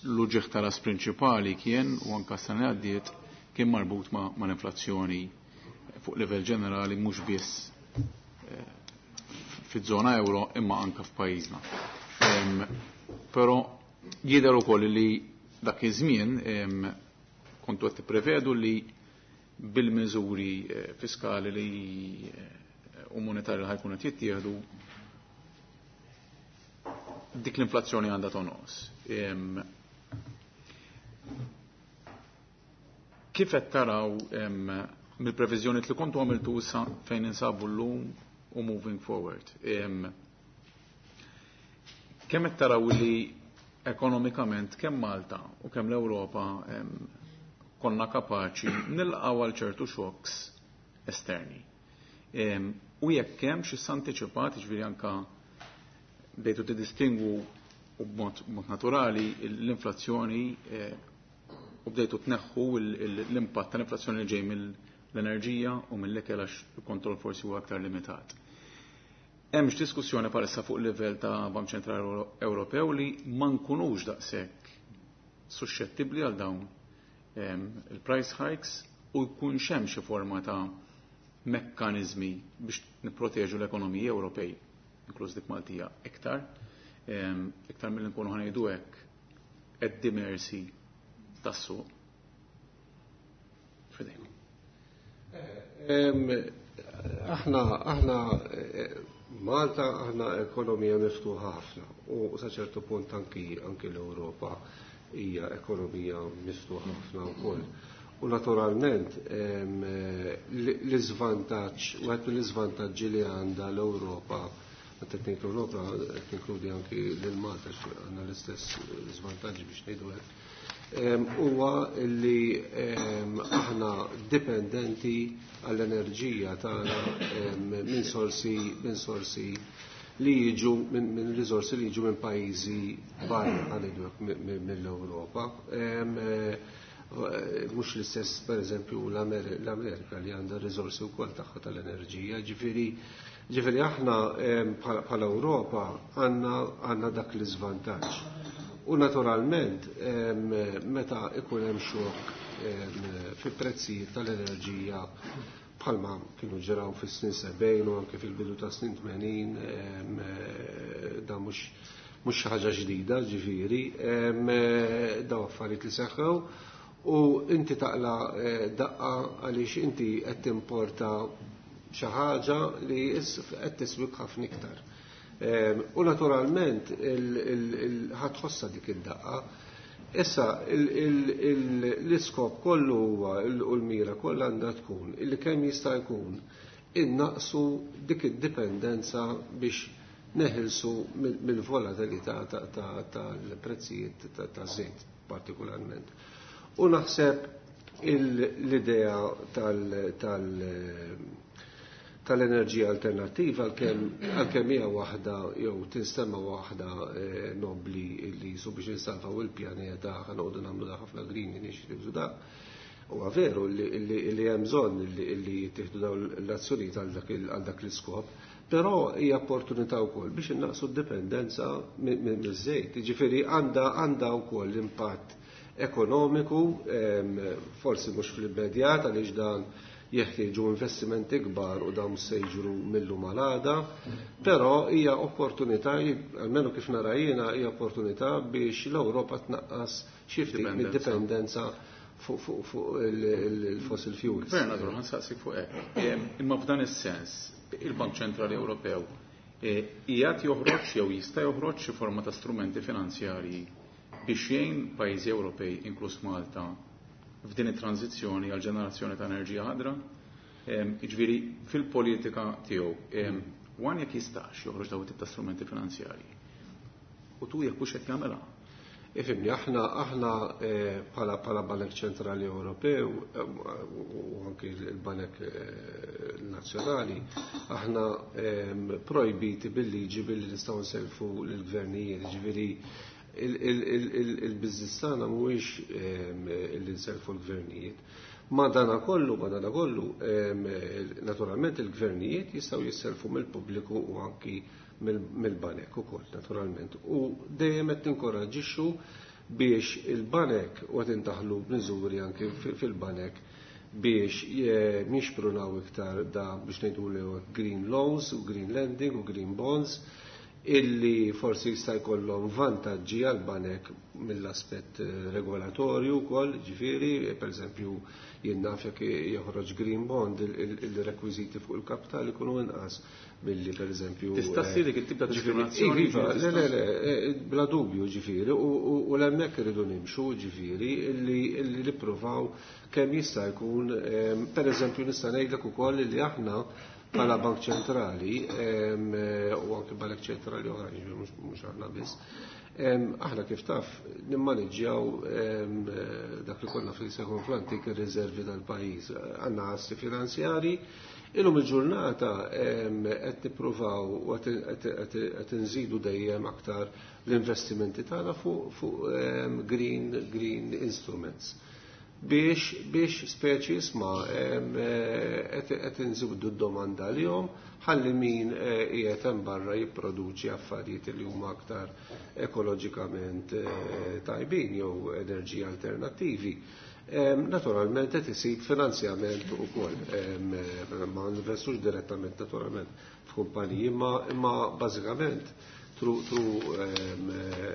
Speaker 1: l-uġigħ tal-as prinċipali kien u anka s-sena li għaddiet kien marbut ma' l-inflazzjoni fuq livell ġenerali mhux biss fiż-żona euro imma anka f'pajjiżna. Però jidher ukoll li dak iż-żmien kontu qed tipprevedu li bil-miżuri fiskali li u monetarji li ħajkunu qed jittieħdu dik l-inflazzjoni għandha tonqos. Kif qed taraw mill-previżjoni li kontu għamiltu issa fejn insabu llum u moving forward? Kemm qed taraw li ekonomikament kemm Malta u kemm l-Ewropa konna kapaċi nilqgħu għal ċertu shocks esterni. U jekk hemm xi antiċipat, jiġifieri anka bdejtu tiddistingwu u b'mod b'mod naturali l-inflazzjoni u bdejtu tneħħu l-impatt tal-inflazzjoni li ġej mill-enerġija u mill-ikel għax il-kontroll forsi huwa aktar limitat. Hemm diskussjoni bħalissa fuq livell ta' Bank Ċentrali Ewropew li ma nkunux daqshekk suscettibbli għal dawn il-price hikes u jkun hemm xi forma ta' mekkaniżmi biex nipproteġu l-ekonomiji Ewropej, inkluż dik Maltija, iktar, iktar milli nkunu ħanejdu hekk at the mercy tas-suq. Fidejn.
Speaker 2: Aħna, aħna Malta aħna ekonomija miftuħa ħafna u sa ċertu punt anki, anki l-Ewropa hija ekonomija miftuħa ħafna wkoll. U naturalment l-iżvantaġġ, wieħed mill-iżvantaġġi li għandha l-Ewropa Meta qed ngħid Ewropa qed ninkludi anki lil Malta għandna l-istess żvantaġġi biex ngħidu hekk. Huwa li aħna dipendenti għall-enerġija tagħna minn sorsi minn sorsi li jiġu minn riżorsi li jiġu minn pajjiżi barra ngħidu hekk mill-Ewropa. Mhux l-istess pereżempju l-Amerika li għandha riżorsi wkoll tagħha tal-enerġija, ġifieri ġifieri aħna bħala Ewropa għandna għandna dak l-iżvantaġġ. U naturalment meta ikun hemm xokk fi prezzijiet tal-enerġija bħalma kienu ġraw fis-snin sebgħin u anke fil-bidu ta' snin tmenin, da mhux mhux xi ħaġa ġdida, ġifieri, daw affarijiet li seħħew u inti taqla daqqa għaliex inti qed timporta xi ħaġa li qed tiswik ħafna iktar. U naturalment ħatħossa dik id-daqqa. Issa l-iskop kollu huwa u l-mira kollha għandha tkun illi kemm jista' jkun innaqsu dik id-dipendenza biex neħilsu mill-volatilità tal-prezzijiet taż-żejt partikolarment. U naħseb l-idea tal tal-enerġija alternattiva għalkemm hija waħda jew tinstema waħda nobli li jisu biex insalvaw il-pjaneta ħanoqogħdu nagħmlu da ħafna green initiatives u dak. Huwa veru li hemm bżonn li jittieħdu dawn l-azzjonijiet għal dak l-iskop, però hija opportunità wkoll biex innaqsu d-dipendenza miż-żejt. Jiġifieri għandha għandha wkoll impatt ekonomiku, forsi mhux fl-immedjat għaliex dan jeħtieġu investimenti kbar u dawn se jiġru mill-lum għal għada, però hija opportunità, almenu kif nara jiena, hija opportunità biex l-Ewropa tnaqqas xi ftit mid-dipendenza fuq il-fossil fuels.
Speaker 1: Bernardo, ħa nsaqsik fuq hekk. Imma f'dan is-sens, il-Bank Ċentrali Ewropew qiegħed joħroġ jew jista' joħroġ xi forma ta' strumenti finanzjarji biex jgħin pajjiżi Ewropej, inkluż Malta, f'din it-tranzizzjoni għal ġenerazzjoni ta' enerġija ħadra, jiġifieri fil-politika tiegħu, one jekk jistax joħroġ dawn it-tip ta' strumenti finanzjarji. U tu jekk hux qed jagħmilha.
Speaker 2: Ifhimni, aħna aħna bħala bħala Banek Ċentrali Ewropew u anki l-Banek Nazzjonali, aħna projbiti bil-liġi billi nistgħu nselfu lill-gvernijiet, jiġifieri il-biznis tagħna mhuwiex li nselfu l-gvernijiet. Ma dana kollu, ma dana kollu, naturalment il-gvernijiet jistgħu jisselfu mill-pubbliku u anki mill-banek ukoll, naturalment. U dejjem qed tinkoraġġixxu biex il-banek u qed intaħlu b'miżuri anki fil-banek biex jixprunaw iktar da biex ngħidu green loans u green lending u green bonds illi forsi jista' jkollhom vantaġġi għal banek mill-aspett regolatorju wkoll, ġifieri, pereżempju jien naf jekk joħroġ green bond il-rekwiżiti fuq il-kapital ikunu inqas milli pereżempju.
Speaker 1: Tista' ssir dik it-tip ta' diskriminazzjoni?
Speaker 2: Iva, le le le, bla dubju ġifieri, u l-hemmhekk irridu nimxu ġifieri illi nippruvaw kemm jista' jkun, pereżempju nista' ngħidlek ukoll li aħna bħala Bank Ċentrali u anke Bank Ċentrali oħra, mhux aħna biss, aħna kif taf nimmaniġġjaw dak li konna fil-sekon fl-antik ir-riservi tal-pajjiż. Għandna assi finanzjari, illum il-ġurnata qed nippruvaw u qed inżidu dejjem aktar l-investimenti tagħna fuq green green instruments. Biex biex speċi isma qed inżidu d-domanda lihom ħalli min qiegħed hemm barra jipproduċi affarijiet li huma aktar ekoloġikament tajbin jew enerġija alternattivi. Naturalment qed isib finanzjament ukoll. Ma investux direttament naturalment f'kumpaniji, imma bażikament through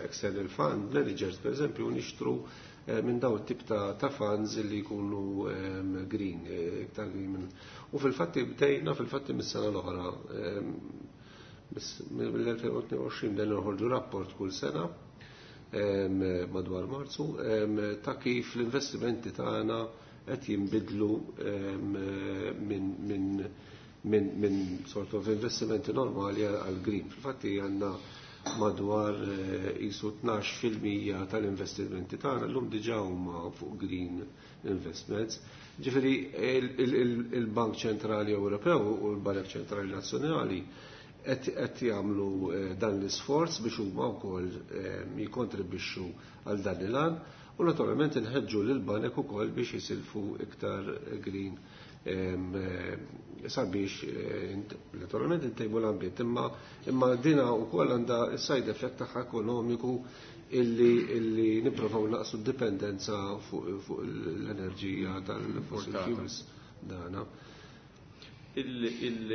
Speaker 2: external fund managers per eżempju nixtru minn daw tip ta' funds li jkunu green, iktar green. U fil-fatti bdejna fil-fatti mis-sena l-oħra, mill-elfejn u tnejn u għoxrin bdejna noħorġu rapport kull sena madwar Marzu ta' kif l-investimenti tagħna qed jinbidlu minn minn min sort of investimenti normali għal green. Fil-fatti għandna madwar qisu tnax fil-mija tal-investimenti tagħna llum diġà huma fuq green investments. Ġifieri il-Bank Ċentrali Ewropew u l-Bank Ċentrali Nazzjonali qed jagħmlu dan l-isforz biex huma wkoll jikkontribwixxu għal dan il-għan u naturalment inħeġġu lil banek ukoll biex jisilfu iktar green sabiex naturalment intejbu l-ambjent, imma imma dina wkoll għandha s-side effect tagħha ekonomiku illi illi nipprovaw naqsu d-dipendenza fuq fuq l-enerġija tal-fossil fuels dana.
Speaker 1: Il, il,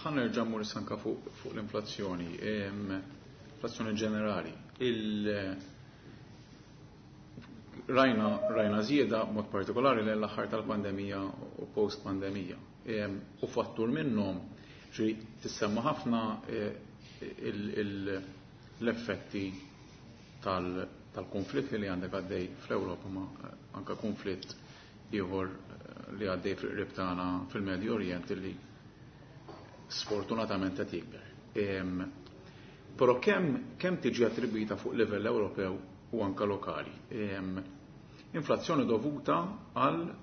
Speaker 1: ħa nerġa' mmur anka fuq fuq l-inflazzjoni, inflazzjoni ġenerali. Il, rajna, rajna żieda mod partikolari lejn l-aħħar tal-pandemija u post-pandemija. U fattur minnhom ġi tissemma ħafna l-effetti tal-konflitt li għandek għaddej fl-Ewropa ma anka konflitt ieħor li għaddej fil-qrib tagħna fil-Medju Orient li sfortunatament qed jikber. Però kemm kemm tiġi attribwita fuq livell Ewropew u anka lokali. Inflazzjoni dovuta għal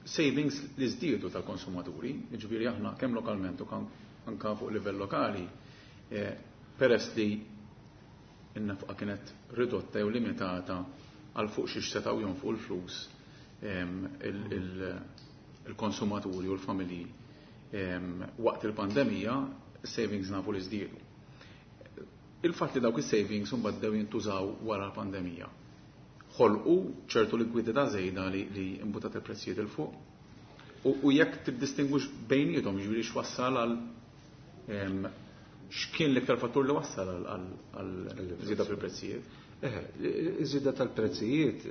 Speaker 1: savings li żdiedu tal-konsumaturi, jiġifieri aħna kemm lokalment u anka fuq livell lokali, peress li n-nefqa kienet ridotta jew limitata għal fuq xiex setgħu jonfqu l-flus il-konsumaturi u l-familji waqt il-pandemija, savings nafu li żdiedu. Il-fatt li dawk is-savings imbagħad bdew jintużaw wara l-pandemija. Ħolqu ċertu likwidità żejda li, li imbutat il-prezzijiet il fuq. U, u jekk tiddistingwix bejniethom, jiġifieri x'wassal għal x'kien l-iktar fattur li wassal għal żieda fil-prezzijiet?
Speaker 2: Iż-żieda tal-prezzijiet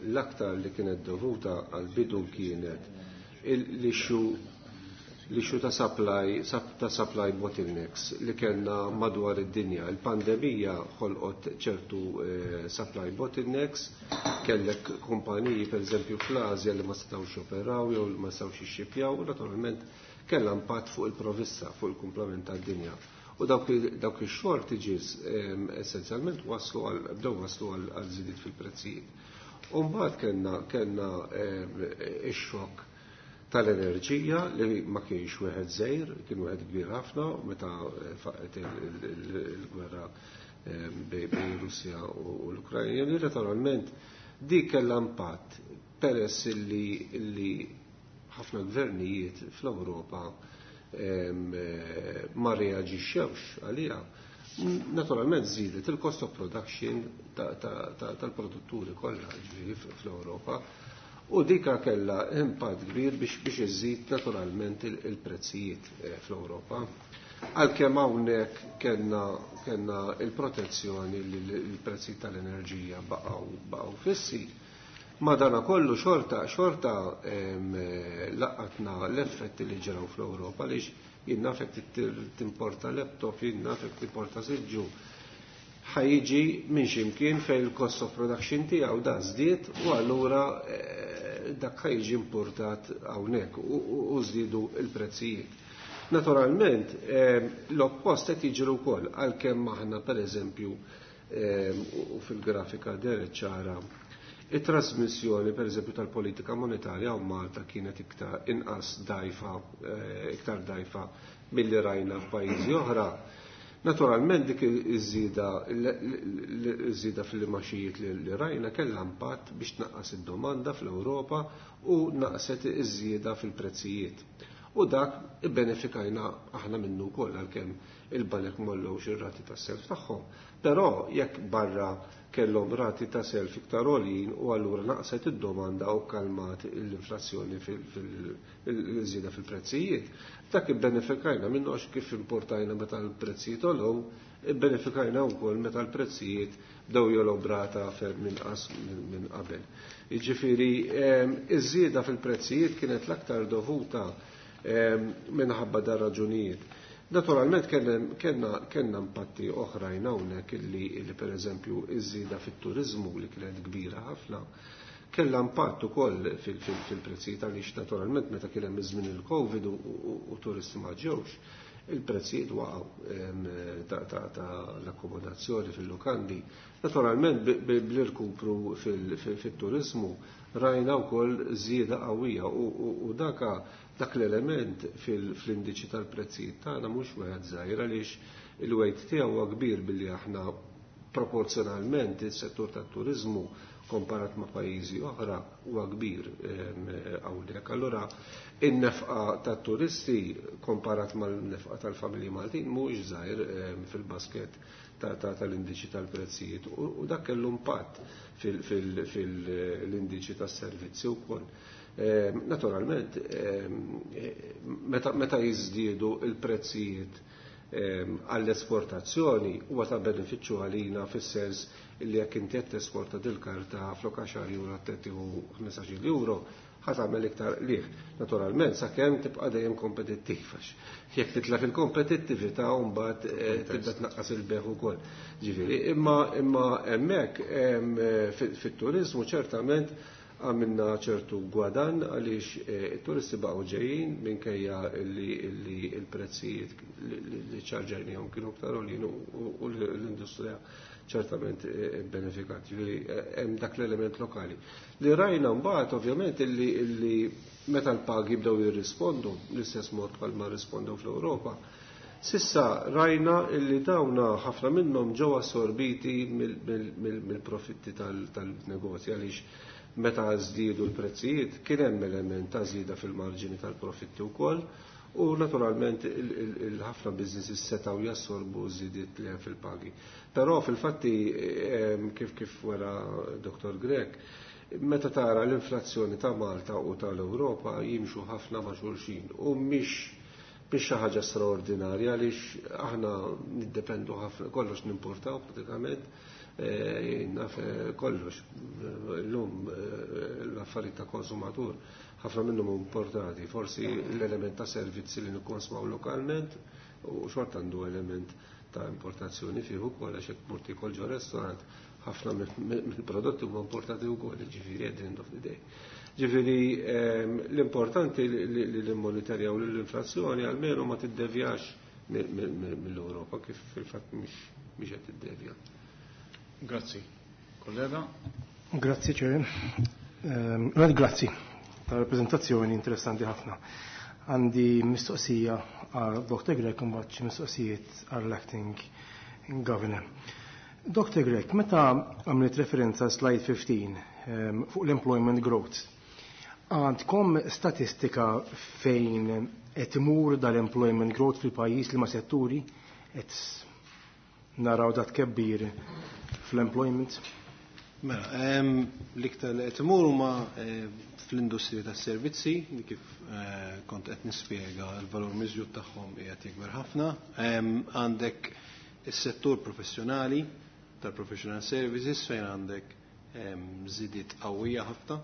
Speaker 2: l-aktar li kienet dovuta għal bidu kienet l-issue l-issue ta' supply, ta' supply bottlenecks li kellna madwar id-dinja. Il-pandemija ħolqot ċertu eh, supply bottlenecks, kellek kumpaniji per eżempju fl-Asja li ma setgħux operaw jew li ma setgħux jixxipjaw, u naturalment kellha impatt fuq il-provvista, fuq il-kumplament tad-dinja. U dawk dawk ix-shortages essenzjalment waslu għal bdew waslu għal żidiet fil-prezzijiet. U mbagħad kellna kellna ix-xokk tal-enerġija li ma kienx wieħed żgħir, kien wieħed kbir ħafna meta faqet il-gwerra bejn Russja u l-Ukrajna. Li naturalment dik kellha impatt peress li li ħafna gvernijiet fl-Ewropa ma reaġixxewx għaliha. Naturalment żiedet il-cost of production tal-produtturi kollha ġifieri fl-Ewropa. U dika kella impatt kbir biex biex iżid naturalment il-prezzijiet fl-Ewropa. Għalkemm hawnhekk kellna kellna il-protezzjoni li l-prezzijiet tal-enerġija baqgħu baqgħu fissi. Madana kollu xorta xorta laqatna l-effetti li ġraw fl-Ewropa għaliex jien nafek timporta laptop, jien nafek timporta siġġu. Ħa jiġi minn ximkien fejn il-cost of production tiegħu da żdied u allura dak ħa jiġi importat hawnhekk u żdiedu il-prezzijiet. Naturalment, l-oppost qed jiġri wkoll għalkemm aħna pereżempju u fil-grafika deret ċara it-trasmissjoni pereżempju tal-politika monetarja u Malta kienet iktar inqas dajfa, iktar dajfa milli rajna f'pajjiżi oħra. Naturalment dik iż-żieda iż-żieda fil-imaxijiet li rajna kellha impatt biex tnaqqas id-domanda fl-Ewropa u naqset iż-żieda fil-prezzijiet. U dak ibbenefikajna aħna minnu wkoll għalkemm il-banek m'għollewx ir-rati tas-self tagħhom. Però jekk barra kellhom rati ta' self iktar għoljin u allura naqset id-domanda u kalmat l-inflazzjoni fil-żieda fil-prezzijiet. Dak ibbenefikajna minnu għax kif importajna meta l-prezzijiet għolew, ibbenefikajna wkoll meta l-prezzijiet bdew jogħlew b'rata ferm inqas minn qabel. Jiġifieri iż-żieda fil-prezzijiet kienet l-aktar dovuta minħabba dar raġunijiet. Naturalment kellna kellna impatti oħrajn hawnhekk illi illi pereżempju iż-żieda fit-turiżmu li kienet kbira ħafna Kellha impatt ukoll fil-prezzijiet għaliex naturalment meta kien hemm iż-żmien il-Covid u turisti ma ġewx, il-prezzijiet waqgħu ta' l-akkomodazzjoni fil-lukandi. Naturalment bl-irkupru fit-turizmu rajna wkoll żieda qawwija u daka dak l-element fl-indiċi tal-prezzijiet tagħna mhux wieħed żgħir għaliex il-weight tiegħu huwa kbir billi aħna proporzjonalment is-settur tat-turiżmu komparat ma' pajjiżi oħra huwa kbir hawnhekk. Allura in-nefqa tat-turisti komparat mal-nefqa tal-familji Maltin mhuwiex żgħir fil-basket tal-indiċi tal-prezzijiet u dak kellu impatt fil-indiċi tas-servizzi wkoll. Naturalment, meta jiżdiedu il-prezzijiet għall-esportazzjoni huwa ta' benefiċċju għalina fis-sens li jekk inti qed tesporta dil-karta flok għaxar euro qed tieħu ħmistax-il euro, ħa tagħmel iktar qligħ. Naturalment sakemm tibqa' dejjem kompetittiv għax jekk titlef il-kompetittività mbagħad tibda tnaqqas il-beħ ukoll. Ġifieri, imma imma hemmhekk fit-turiżmu ċertament għamilna ċertu gwadan għaliex it-turisti baqgħu ġejjin minkejja li l-prezzijiet li ċarġajnihom kienu aktar għoljin u l-industrija ċertament benefikat. Ġifieri hemm dak l-element lokali. Li rajna mbagħad ovvjament illi meta l-pagi bdew jirrispondu l-istess mod bħalma rrispondew fl-Ewropa, sissa rajna illi dawna ħafna minnhom ġew assorbiti mill-profitti tal-negozji għaliex meta żdiedu l-prezzijiet kien hemm element ta' żieda fil-marġini tal-profitti wkoll u naturalment il-ħafna businesses setgħu jassorbu żidiet li hemm fil-pagi. Però fil-fatti kif kif wara Dottor Grech, meta tara l-inflazzjoni ta' Malta u tal-Ewropa jimxu ħafna ma' xulxin u mhix biex xi ħaġa straordinarja għaliex aħna niddependu ħafna kollox nimportaw pratikament naf kollox. Illum l-affarijiet ta' konsumatur ħafna minnhom importati, forsi l-element ta' servizzi li nikkonsmaw lokalment u xorta għandu element ta' importazzjoni fih ukoll għax jekk mur tiekol ġo restaurant ħafna mill-prodotti huma importati wkoll, ġifieri at the end of the day. Ġifieri l-importanti li nimmonitorjaw l-inflazzjoni almenu ma tiddevjax mill-Ewropa kif fil-fatt mhix qed tiddevja.
Speaker 1: Grazzi. Kollega?
Speaker 4: Grazzi, Chair. Ehm, grazzi tal-rappresentazzjoni interessanti ħafna. Għandi mistoqsija għal Dottor Grech u mbagħad xi mistoqsijiet għall acting governor. Dottor Grech, meta għamilt referenza slide fifteen ehm, fuq l-employment growth, għandkom statistika fejn qed imur dal-employment growth fil-pajjiż li ma setturi qed naraw dat kebbir fl-employment?
Speaker 3: Mela, l-iktar li qed imur huma fl-industrija tas-servizzi, li kif kont qed nispjega l-valur miżjud tagħhom qiegħed jikber ħafna. Għandek is-settur professjonali tal-professional services fejn għandek żidiet qawwija ħafna.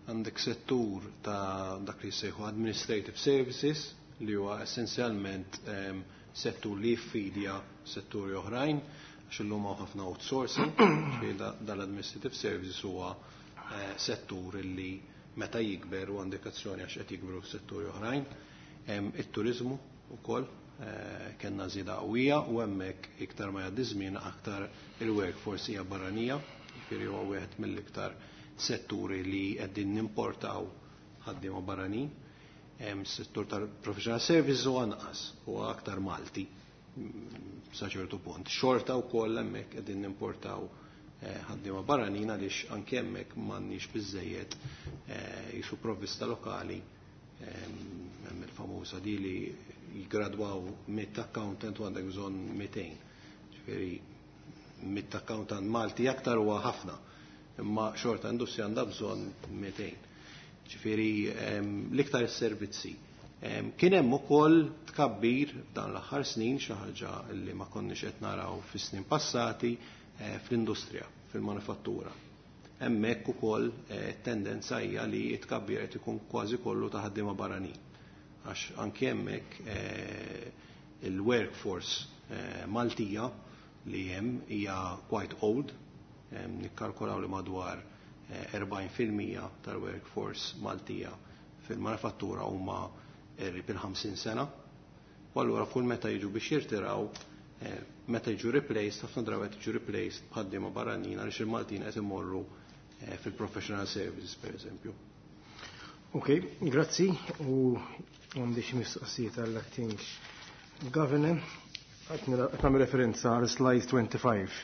Speaker 3: Għandek settur ta' dak li jsejħu administrative services li huwa essenzjalment settur li jiffidja setturi oħrajn, għax illum hawn ħafna outsourcing, ġifieri dal-administrative services huwa settur li meta jikber u għandek azzjoni għax qed jikbru f'setturi oħrajn. It-turizmu wkoll kellna żieda qawwija u hemmhekk iktar ma jgħaddi żmien aktar il-workforce hija barranija, ġifieri huwa wieħed mill-iktar setturi li qegħdin nimportaw ħaddiema barranin. Settur tal-professional services huwa anqas, huwa aktar Malti sa ċertu punt. Xorta wkoll hemmhekk qegħdin nimportaw ħaddiema barranin għaliex anke hemmhekk m'għandniex biżejjed jisu provvista lokali. Hemm il-famuża di li jigradwaw mitt accountant u għandek bżonn mitejn. Ġifieri mitt accountant Malti aktar huwa ħafna, imma xorta industrija għandha bżonn mitejn. Ġifieri l-iktar is-servizzi. Kien hemm ukoll tkabbir dan l-aħħar snin, xi ħaġa li ma konniex qed naraw fis-snin passati fl-industrija, fil-manifattura. Hemmhekk ukoll tendenza hija li t-tkabbir qed ikun kważi kollu ta' ħaddiema barranin. Għax anke hemmhekk il-workforce Maltija li hemm hija quite old, nikkalkulaw li madwar erbgħin fil-mija tal-workforce Maltija fil-manifattura huma qrib il-ħamsin sena. U allura kull meta jiġu biex jirtiraw, meta jiġu replaced, ħafna drabi qed jiġu replaced b'ħaddiema barranin għaliex il-Maltin qed imorru fil-professional services pereżempju.
Speaker 4: Ok, grazzi. U għandi xi mistoqsijiet għall-acting governor. Qed nagħmel referenza għal slide twenty-five.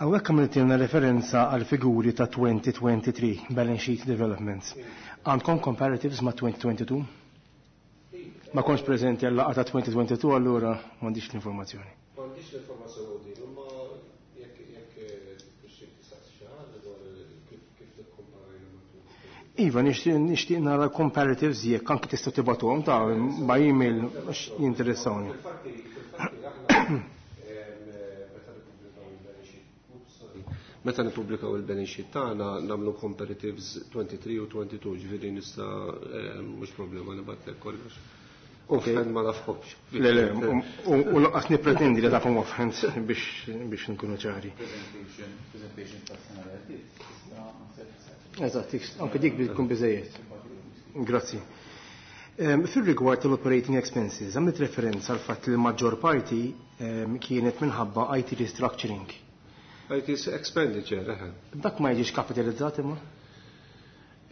Speaker 4: Hawnhekk għamiltilna referenza għal figuri ta' twenty twenty-three balance sheet developments. Għandkom comparatives ma' twenty twenty-two? Ma kontx preżenti għal laqgħa ta' twenty twenty-two, allura m'għandix l-informazzjoni.
Speaker 2: M'għandix l-informazzjoni din, imma jekk jekk tixtieq tistaqsi xi ħaġa dwar kif kif tikkomparajna ma' twenty twenty-two.
Speaker 4: Iva, nixtieq, nixtieq nara comparatives jekk anki tistgħu tibgħatuhom ta' by email għax jinteressawni.
Speaker 2: Fil-fatti, fil-fatti aħna, meta nippubblikaw il-balance sheet, oops, sorry. Meta nippubblikaw il-balance sheet tagħna nagħmlu comparatives twenty-three u twenty-two, ġifieri nista', eh, mhux problema nibgħatlek kollox.
Speaker 4: Ok.
Speaker 2: Offhand ma nafhomx.
Speaker 4: Le, le, u, u, u lanqas nippretendi li tafhom offhand biex, biex nkunu ċari.
Speaker 1: Presentation, presentation tas-sena li għaddiet, tista' naħseb.
Speaker 4: Eżatt, anke dik tkun biżejjed. Grazzi. Ehm, fil-rigward tal-operating expenses, għamilt referenza għal fatt li l-maġġor parti, ehm, kienet minħabba I T restructuring.
Speaker 2: I T expenditure, eħe.
Speaker 4: Dak ma jiġix kapitalizzat imma?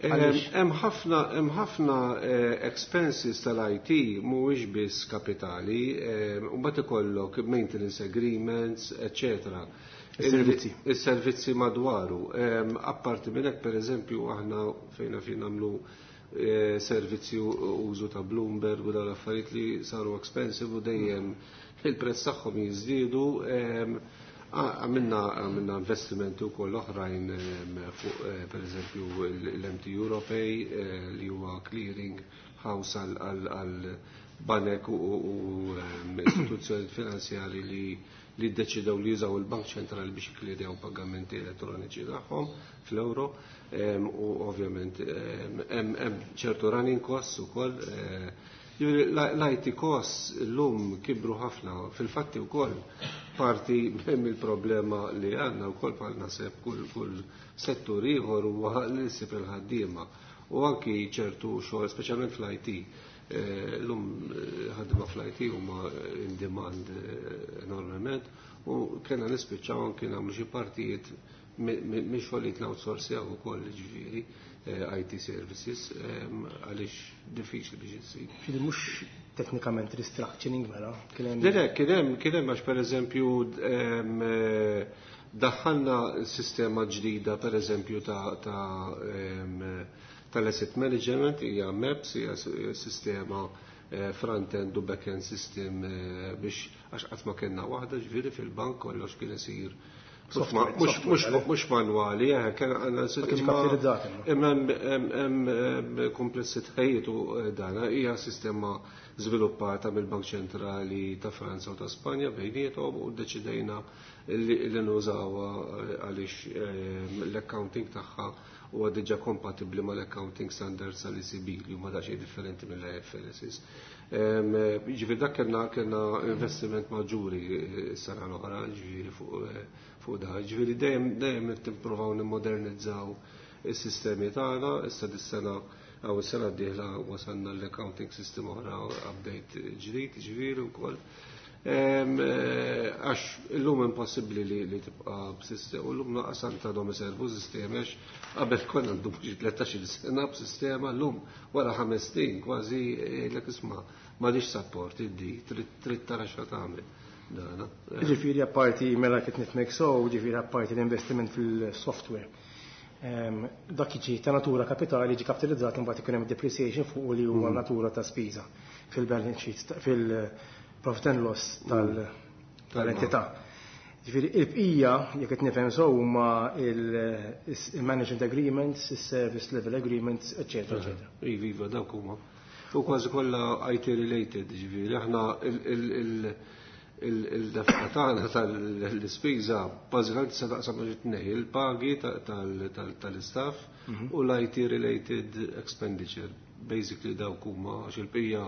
Speaker 2: Ehm,
Speaker 4: Għaliex?
Speaker 2: Hemm ħafna, hemm ħafna, eh, expenses tal-I T mhuwiex biss kapitali, ehm, u mbagħad ikollok maintenance agreements, eccetera.
Speaker 4: Is-servizzi.
Speaker 2: Is-servizzi madwaru. Ehm, apparti minn hekk, pereżempju, aħna fejn fejn nagħmlu, eh, servizzi u użu ta' Bloomberg u dawn l-affarijiet li saru expensive u dejjem il-prezz tagħhom jiżdiedu. Ehm, għamilna, għamilna investimenti wkoll oħrajn, ehm, fuq, eh, pereżempju l-M T Europay, eh, li huwa clearing house għal, għal, għal banek u, u, u, ehm, istituzzjoni finanzjari li, li ddeċidew li jużaw il-Bank Ċentrali biex jikklirjaw pagamenti elettroniċi tagħhom fl-euro, ehm, u ovvjament, ehm, hemm, hemm ċertu running costs ukoll. Eh, ġifieri, l-I T costs llum kibru ħafna, fil-fatti wkoll parti mill-problema li għandna wkoll bħal naħseb kull, kull settur ieħor huwa li ssib il-ħaddiema u anki ċertu xogħol, speċjalment fl-I T. Eh, llum, eh, ħaddiema fl-I T huma in demand, eh, enormement u kellna nispiċċaw anki nagħmlu xi partijiet mi-, mi-, minn xogħlijiet l-outsourcjaw ukoll, ġifieri, eh, I T services, ehm, għaliex diffiċli biex issib.
Speaker 4: Ġifieri mhux teknikament restructuring mela? Kien hemm
Speaker 2: Le, le, kien hemm, kien hemm għax pereżempju, ehm, eh, daħħalna sistema ġdida pereżempju ta', ta', ehm, tal-asset management, hija M E P S, hija s-, sistema, eh, front-end u back-end system, eh, biex għax qatt ma kellna waħda, ġifieri fil-bank kollox kien isir
Speaker 4: Software,
Speaker 2: mhux ma-,
Speaker 4: software,
Speaker 2: mhux,
Speaker 4: għalhekk.
Speaker 2: mhux manwali, eh, kien għandna
Speaker 4: Ma kienx
Speaker 2: imma
Speaker 4: kapitalizzat, imma.
Speaker 2: imma hemm, hemm, hemm, hemm komplessitajiet u, eh, dana hija sistema żviluppata mill-Bank Ċentrali ta' Franza u ta' Spanja bejniethom u ddeċidejna li, li nużawha, eh, għaliex, eh, l-accounting tagħha huwa diġà kompatibbli mal-accounting standards tal-E C B li huma daqsxejn differenti mill-I F R S. Ehm, ġifieri dak kellna, kellna investiment maġġuri, eh, s-sena l-oħra, ġifieri fuq, eh, fuq da. Ġifieri dejjem, dejjem qed nippruvaw nimmodernizzaw is-sistemi tagħna, issa dis-sena għaw is-sena d-dieħla wasalna l-accounting system oħra update ġdid, ġifieri wkoll. Ehm, eh, għax illum impossibbli li, li tibqa' b'sistema, u llum naqas anke għadhom iservu sistemi, għax qabel konna ndumu xi tlettax-il sena b'sistema, llum wara ħames snin kważi jgħidlek isma' m'għadix support iddi, trid, trid tara x'ha tagħmel. Dana.
Speaker 4: Ġifieri apparti mela kif nifhmek so, ġifieri apparti l-investiment fil-software. Ehm, dak jiġi ta' natura kapitali, jiġi kapitalizzat imbagħad ikun hemm depreciation fuq li huwa
Speaker 2: Mm.
Speaker 4: natura ta' spiża fil-balance sheet, fil-profit and loss tal-,
Speaker 2: Mm.
Speaker 4: tal-entità. Ġifieri il-bqija, jekk qed nifhem so, huma il-, il-management agreements, il-service level agreements, eccetera, eccetera.
Speaker 2: Iva, iva, dawk huma. U kważi kollha I T related, ġifieri aħna il-, il-, il-, il-, il-dafqa tagħna tal-ispiża bażikament se taqsam ma' tnejn, il-pagi ta-, tal-, tal-, tal-istaff
Speaker 4: Mhm.
Speaker 2: u l-I T related expenditure. Basically dawk huma għax il-bqija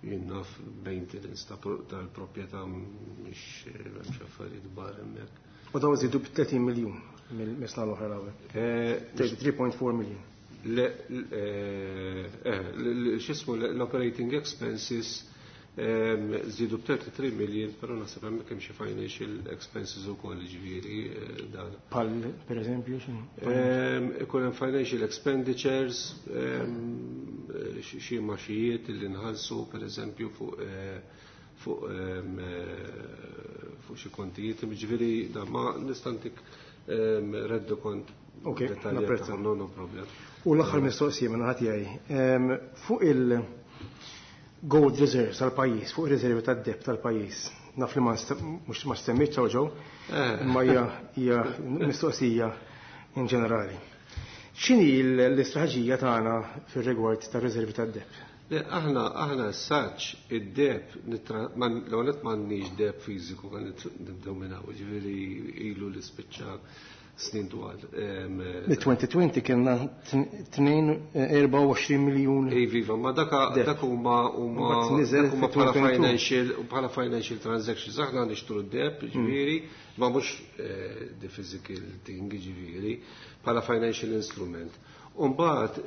Speaker 2: jien naf maintenance ta' pro-, tal-proprjetà mhix m'hemmx affarijiet kbar hemmhekk.
Speaker 4: U dawn żiedu bi tletin miljun. Mill-sena l-oħra l-ewwel. three point four million.
Speaker 2: X'ismu, l-operating expenses żdiedu b' three million, però naħseb hemmhekk hemm xi financial expenses ukoll, ġifieri dan.
Speaker 4: Bħal per eżempju?
Speaker 2: Ikun hemm financial expenditures, xi imgħaxijiet li nħallsu, per eżempju, fuq fuq fuq xi kontijiet, ġifieri da ma nista' ntik rendikont.
Speaker 4: Ok, napprezza.
Speaker 2: No, no problem.
Speaker 4: U l-aħħar mistoqsija minn ħadd tiegħi. Fuq il-gold reserves tal-pajjiż, fuq ir-riservi tad-deheb tal-pajjiż. Naf li ma mhux ma semmejtx ġew, imma hija hija mistoqsija in ġenerali. X'inhi l-istrateġija tagħna fir-rigward tar-riservi tad-deheb?
Speaker 2: Aħna aħna saċ id-deheb, l-għonet m'għandniex deheb fiżiku, għan nibdew minn hawn, ġifieri ilu li spiċċa snin twal.
Speaker 4: Mid-elfejn u għoxrin kienna erbgħa u għoxrin miljun.
Speaker 2: Ej, viva, ma daka dak huma huma huma bħala financial bħala financial transactions, aħna nixtru d-deheb, ġifieri, ma mhux the physical thing, ġifieri, bħala financial instrument. Umbagħad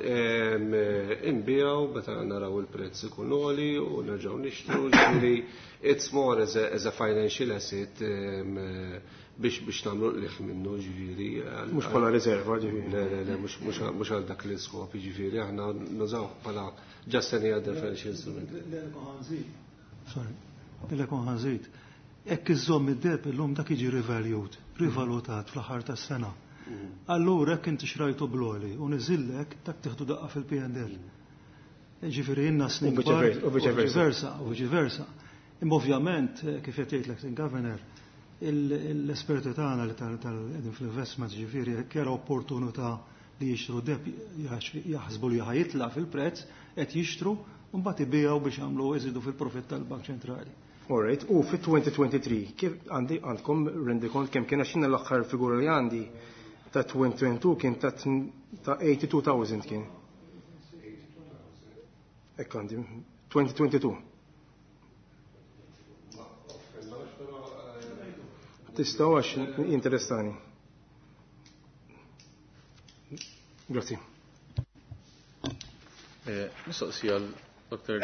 Speaker 2: inbigħu meta naraw il-prezz ikun għoli u nerġgħu nixtru, ġifieri it's more as a, as a financial asset biex biex nagħmlu qligħ minnu, ġifieri.
Speaker 4: Mhux bħala riserva, ġifieri.
Speaker 2: Le, le, le, mhux għal dak l-iskop, ġifieri aħna nużaw bħala just any other financial instrument.
Speaker 5: Sorry, l-ekon ħa nżid. Jekk iżżomm id-deheb illum, dak jiġi revalued, rivalutat fl-aħħar tas-sena. Allura jekk inti xrajtu bl-għoli u niżillek, dak tieħdu daqqa fil-P and L. Ġifieri inna snin
Speaker 4: U
Speaker 5: viċeversa, u viċeversa. Imma ovvjament, kif qed jgħidlek il-Governor, l-esperti tagħna li tal-qegħdin fl-investment, ġifieri jekk jara opportunità li jixtru deheb, jaħsbu li ħa jitla' fil-prezz, qed jixtru u mbagħad ibigħu biex jagħmlu iżidu fil-profitt tal-Bank Ċentrali.
Speaker 4: Alright, u fit-elfejn u tlieta u għoxrin, kif għandi għandkom rendikont kemm kien, għax l-aħħar figura li għandi ta' elfejn u tnejn u għoxrin kien ta' tnejn u tmenin elf kien. Hekk għandi, elfejn u tnejn u għoxrin. Tistgħu, għax interessani. Grazzi.
Speaker 1: Mistoqsija l-Doktor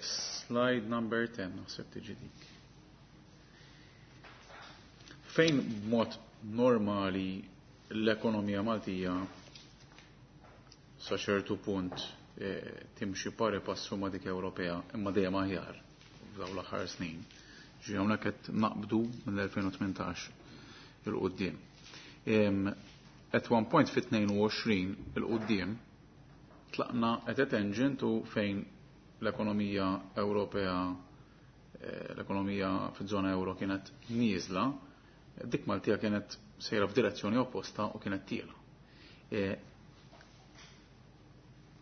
Speaker 1: Slide number ten, naħseb tiġi dik. Fejn b'mod normali l-ekonomija Maltija sa ċertu punt timxi pari passu ma' dik Ewropea, imma dejjem aħjar f'dawn l-aħħar snin. Ġi hawnhekk qed naqbdu mill-elfejn u tmintax 'il quddiem. At one point fit-tnejn u għoxrin 'il quddiem tlaqna at a tangent u fejn l-ekonomija Ewropea, l-ekonomija fiż-żona euro kienet nieżla, dik Maltija kienet sejra f'direzzjoni opposta u kienet tiela'.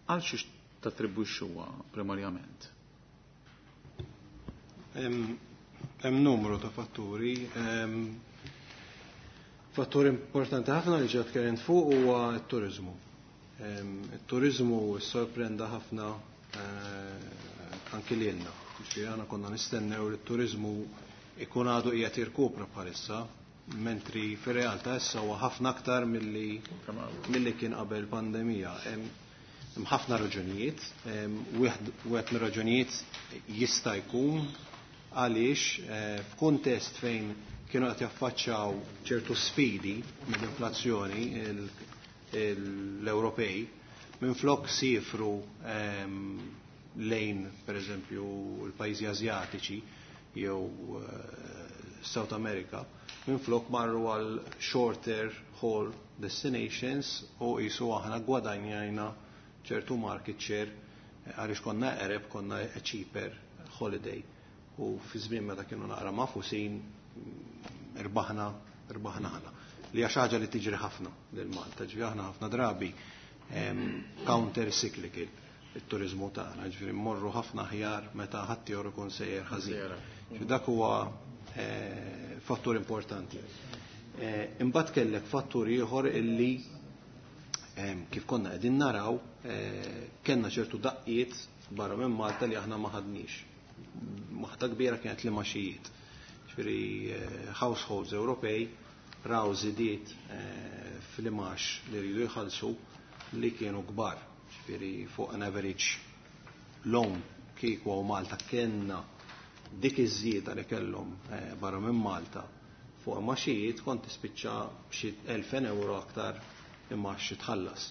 Speaker 1: Għal xiex tattribwixxuha primarjament?
Speaker 3: Hemm numru ta' fatturi. Fattur importanti ħafna li ġat tkellimt fuq huwa t-turizmu. Il-turizmu sorprenda ħafna anki lilna. Ġifieri aħna konna nistennew li t-turizmu ikun għadu qiegħed jirkupra bħalissa, mentri fir-realtà issa huwa ħafna aktar milli milli kien qabel pandemija. Hemm ħafna raġunijiet, wieħed mir-raġunijiet jista' jkun għaliex f'kuntest fejn kienu qed jaffaċċjaw ċertu sfidi mill-inflazzjoni l-Ewropej, minflok sifru lejn, per eżempju, l-pajjiżi Azjatiċi jew South America, minflok marru għal shorter haul destinations u jisu aħna gwadanjajna ċertu market share għaliex konna eqreb, konna a cheaper holiday. U fi żmien meta kienu naqra magħfusin, irbaħna irbaħna aħna. Li hija ħaġa li tiġri ħafna lil Malta, ġifieri aħna ħafna drabi counter cyclical it-turizmu tagħna, ġifieri mmorru ħafna aħjar meta ħadd ikun sejjer ħażin. Dak huwa fattur importanti. Imbagħad kellek fattur ieħor illi, kif konna qegħdin naraw, kellna ċertu daqqiet barra minn Malta li aħna ma ħadniex. Waħda kbira kienet l-imgħaxijiet. Ġifieri households Ewropej raw żidiet eh, fl-imgħax li rridu jħallsu li kienu kbar. Ġifieri fuq an average loan kieku u Malta kellna dik iż-żieda li kellhom eh, barra minn Malta fuq imgħaxijiet kont tispiċċa b'xi elfejn euro aktar imgħax tħallas.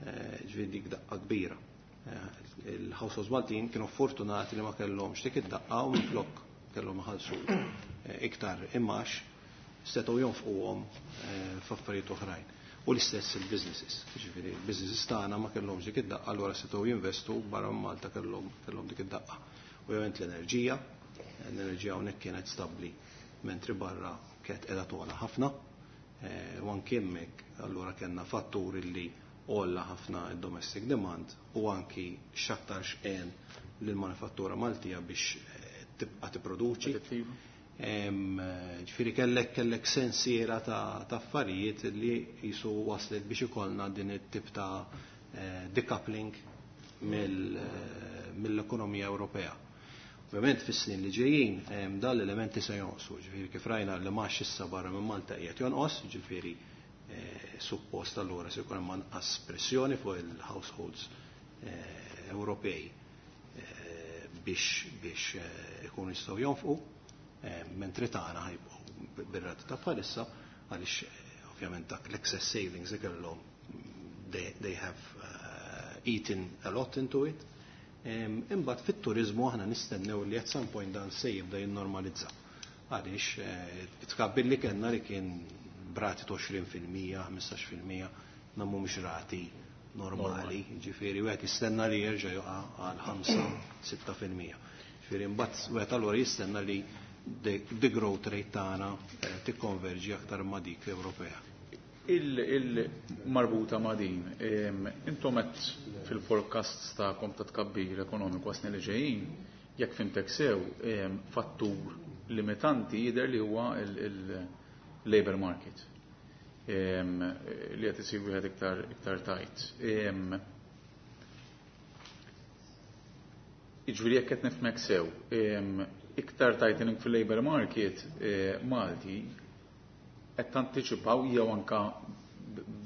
Speaker 3: Eh, ġifieri dik daqqa kbira. Eh, il-households Maltin kienu fortunati li ma kellhomx dik id-daqqa u minflok kellhom iħallsu iktar imgħax setgħu jonfquhom f'affarijiet oħrajn. U l-istess il-businesses. Ġifieri il-businesses tagħna ma kellhomx dik id-daqqa, allura setgħu jinvestu barra minn Malta kellhom kellhom dik id-daqqa. Ovvjament l-enerġija, l-enerġija hawnhekk kienet stabbli mentri barra kienet qiegħda togħla ħafna. U anki hemmhekk allura kellna fatturi li għolla ħafna id-domestic demand u anki x'aktarx għen lill-manifattura Maltija biex tibqa' tipproduċi. Ġifieri kellek kellek sensiela ta' affarijiet li jisu waslet biex ikollna din it-tip ta' decoupling mill-ekonomija Ewropea. Ovvjament fis-snin li ġejjin dan l-elementi se jonqsu, ġifieri kif rajna li mgħax issa barra minn Malta qiegħed jonqos, ġifieri suppost allura se jkun hemm anqas pressjoni fuq il-households Ewropej biex biex ikunu jistgħu jonfqu, mentri tagħna ħajbqgħu bir-rati ta' bħalissa għaliex ovvjament dak l-excess savings li kellhom they, they have uh, eaten a lot into it. Imbagħad fit-turiżmu aħna nistennew li at some point dan se jibda jinnormalizza. Għaliex it-tkabbir li kellna li kien b'rati ta' għoxrin fil-mija, ħmistax fil-mija, na mhumiex rati normali, ġifieri wieħed jistenna li jerġa' joqa' għal ħamsa, sitta fil-mija. Ġifieri mbagħad wieħed allura jistenna li the, the growth rate tagħna tikkonverġi aktar ma' dik Ewropea.
Speaker 1: Il-marbuta ma' din, intom qed fil-forecast tagħkom ta' tkabbir ekonomiku għas-snin li ġejjin, jekk fimtek sew, fattur limitanti jidher li huwa il-labor market li qed isir wieħed iktar iktar tajt. Jiġifieri jekk qed nifhmek sew, iktar tightening fil-labor market Malti qed tantiċipaw jew anka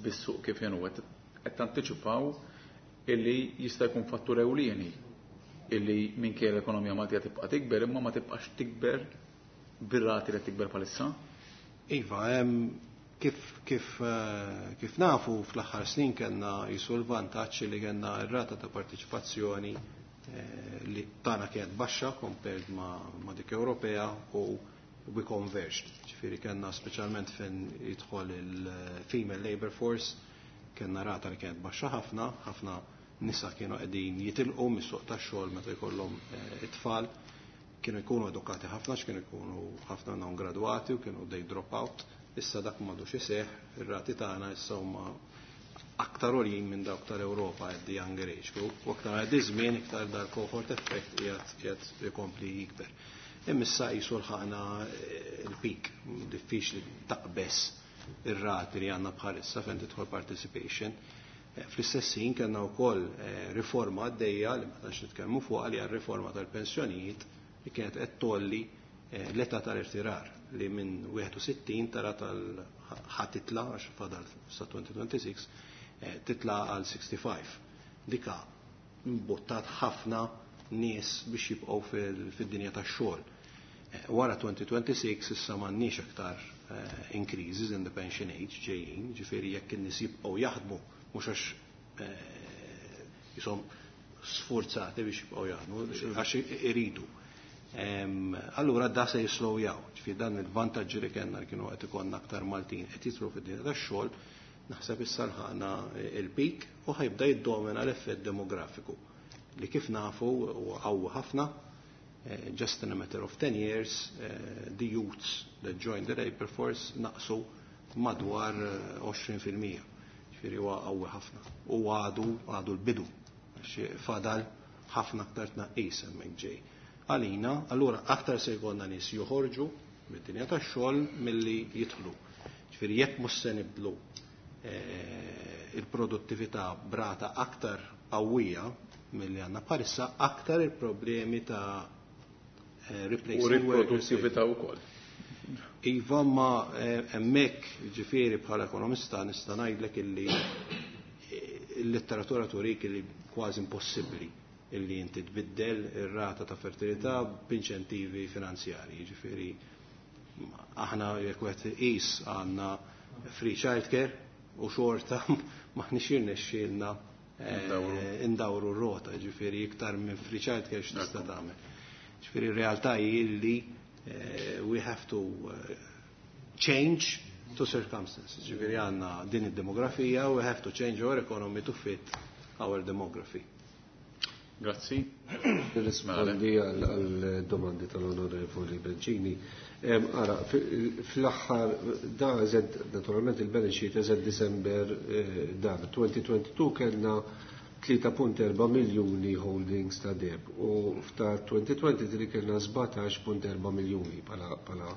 Speaker 1: bis-suq kif inhu qed tantiċipaw illi jista' jkun fattur ewlieni illi minkejja l-ekonomija Maltija tibqa' tikber imma ma tibqax tikber bir-rati li tikber bħalissa?
Speaker 3: Iva, kif, kif, kif nafu fl-aħħar snin kellna jisu l-vantaġġ li kellna r-rata ta' partiċipazzjoni li tagħna kienet baxxa compared ma', ma dik Ewropea u we converged. Ġifieri kellna speċjalment fejn jidħol il-female labor force, kellna rata li kienet baxxa ħafna, ħafna nisa kienu qegħdin jitilqu mis-suq tax-xogħol meta jkollhom it-tfal, kienu jkunu edukati ħafna, kienu jkunu ħafna non graduati u kienu they drop out. Issa dak m'għadux iseħħ, ir-rati tagħna issa huma aktar għoljin minn dawk tal-Ewropa at the younger age group, u aktar għaddi żmien iktar dal cohort effect qiegħed qiegħed ikompli jikber. Imma issa qisu lħaqna il-peak, diffiċli taqbes ir-rati li għandna bħalissa fejn tidħol participation. Fl-istess ħin kellna wkoll riforma għaddejja li ma tantx nitkellmu fuqha li hija riforma tal-pensjonijiet li kienet qed tolli l-età tal-irtirar li minn wieħed u sittin tara tal ħa titla' għax fadal sa twenty twenty-six titla' għal sixty-five. Dika mbuttat ħafna nies biex jibqgħu fid-dinja tax-xogħol. Wara twenty twenty-six issa m'għandniex aktar increases in the pension age ġejjin, ġifieri jekk in-nies jibqgħu jaħdmu mhux għax jisom sforzati biex jibqgħu jaħdmu, għax iridu. Allura da se jislowjaw, ġifieri dan il-vantaġġi li kellna li kienu qed ikollna aktar Maltin qed jidħlu fid-dinja tax-xogħol, naħseb issa lħaqna il-peak u ħajbda jiddomina l-effett demografiku li kif nafu huwa qawwi ħafna. Just in a matter of ten years, the youths that joined the labor force naqsu madwar għoxrin fil-mija. Ġifieri huwa qawwi ħafna. U għadu, għadu l-bidu, għax fadal ħafna aktar tnaqqis hemmhekk ġej. Għalina, allura aktar se jkollna nies joħorġu mid-dinja tax-xogħol milli jidħlu. Ġifieri jekk mhux se nibdlu il-produttività brata aktar qawwija milli għandna bħalissa, aktar il-problemi ta' replacing
Speaker 1: U riproduttività wkoll.
Speaker 3: Iva, ma hemmhekk, ġifieri, bħala ekonomista nista' ngħidlek illi l-letteratura turik illi kważi impossibbli illi inti tbiddel ir-rata ta' fertilità b'inċentivi finanzjarji. Ġifieri aħna jekk wieħed iqis, għandna free childcare u xorta m'aħniex jirnexxielna indawru r-rota, ġifieri iktar minn free childcare x'tista' tagħmel? Ġifieri r-realtà hi illi we have to change to circumstances. Ġifieri għandna din id-demografija, we have to change our economy to fit our demography.
Speaker 1: Grazzi.
Speaker 2: Nirrispondi għal domandi tal-Onorevoli Bencini. Ara, fl-aħħar da eżed, naturalment il-balance sheet as at December dan, elfejn u tnejn u għoxrin kellna tlieta punt erba' miljuni holdings ta' deheb u f'ta' elfejn u tlieta u għoxrin kellna sbatax punt erba' miljuni pala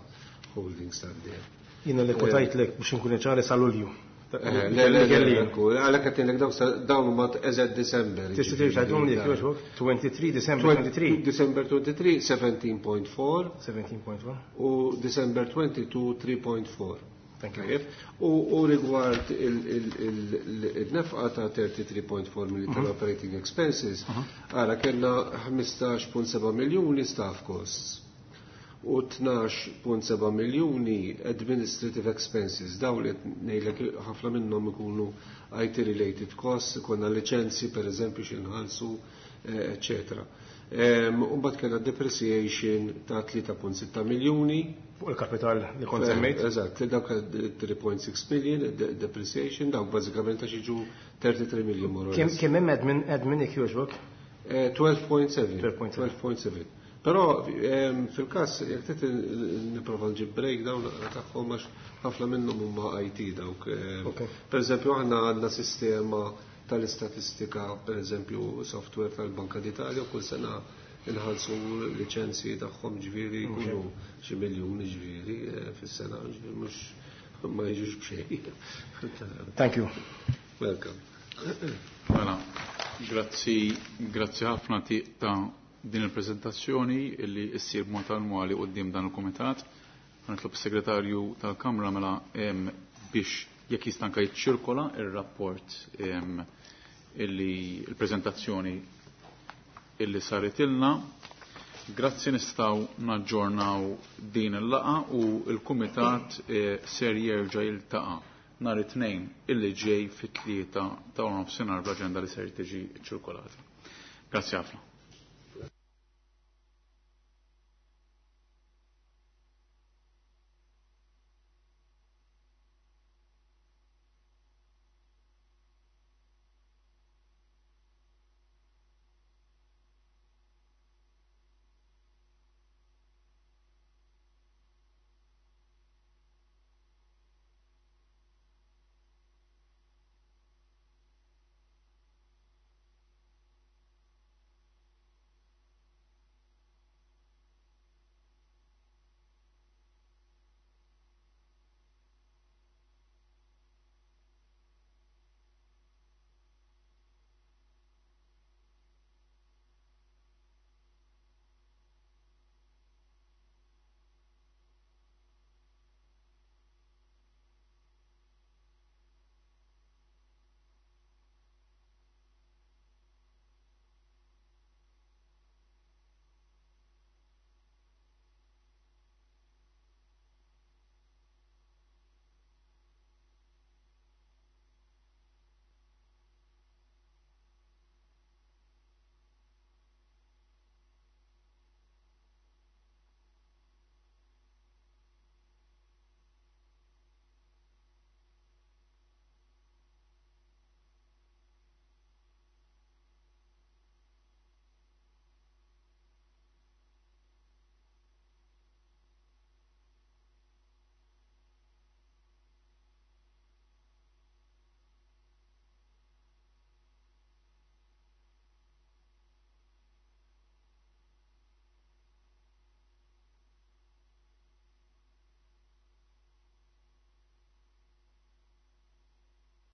Speaker 2: holdings ta' deheb.
Speaker 4: Jiena li kwotajtlek, biex nkun ċari, sa Lulju.
Speaker 2: Le, le, le, għalhekk qed ngħidlek dawn huma as at December.
Speaker 4: Tista' terġa' tgħidhom li jogħġbok? tlieta u għoxrin December tlieta u għoxrin.
Speaker 2: December tlieta u għoxrin, sittax punt erbgħa.
Speaker 4: Sittax punt erbgħa.
Speaker 2: U December tnejn u għoxrin, tlieta punt erbgħa.
Speaker 4: Thank you.
Speaker 2: U, u rigward il-nefqa ta' tlieta u tletin punt erba' miljoni tal-operating expenses, għara kellna ħmistax punt sebgħa miljoni staff costs u tnax punt sebgħa miljoni administrative expenses. Daw li ngħidlek ħafna minnhom ikunu I T related costs, ikonna licenzi per eżempju xi nħallsu, eccetera. Umbagħad kellna depreciation ta' tlieta punt sitta miljoni.
Speaker 4: Fuq il-kapital li kont semmejt.
Speaker 2: Eżatt, dawk tlieta punt sitta million depreciation, dawk bażikament għax jiġu tlieta u tletin million more or less.
Speaker 4: Kemm hemm admin admin jekk jogħġbok?
Speaker 2: tnax punt sebgħa.
Speaker 4: tnax punt sebgħa.
Speaker 2: tnax punt sebgħa. Però fil-każ jekk trid nipprova nġib breakdown tagħhom, għax ħafna minnhom huma I T dawk. Per eżempju aħna għandna sistema tal-istatistika, per eżempju software tal-Banka d'Italja, kull sena inħallsu liċenzji tagħhom, ġifieri jkunu xi miljuni ġifieri fis-sena, ġifieri mhux ma jiġux b'xejn.
Speaker 4: Thank you.
Speaker 2: Welcome.
Speaker 1: Mela, grazzi, grazzi ħafna ta' din il-prezentazzjoni illi issir b'mod annwali quddiem dan il-kumitat. Nitlob is-segretarju tal-Kamra mela biex jekk jista' anke jiċċirkola ir-rapport illi il-preżentazzjoni illi saret ilna. Grazzi, nistgħu naġġornaw din il-laqgħa u l-kumitat ser jerġa' jiltaqa' nhar it-tnejn illi ġej fit-tlieta ta' nofsinhar bl-aġenda li ser tiġi ċirkolata. Grazzi ħafna.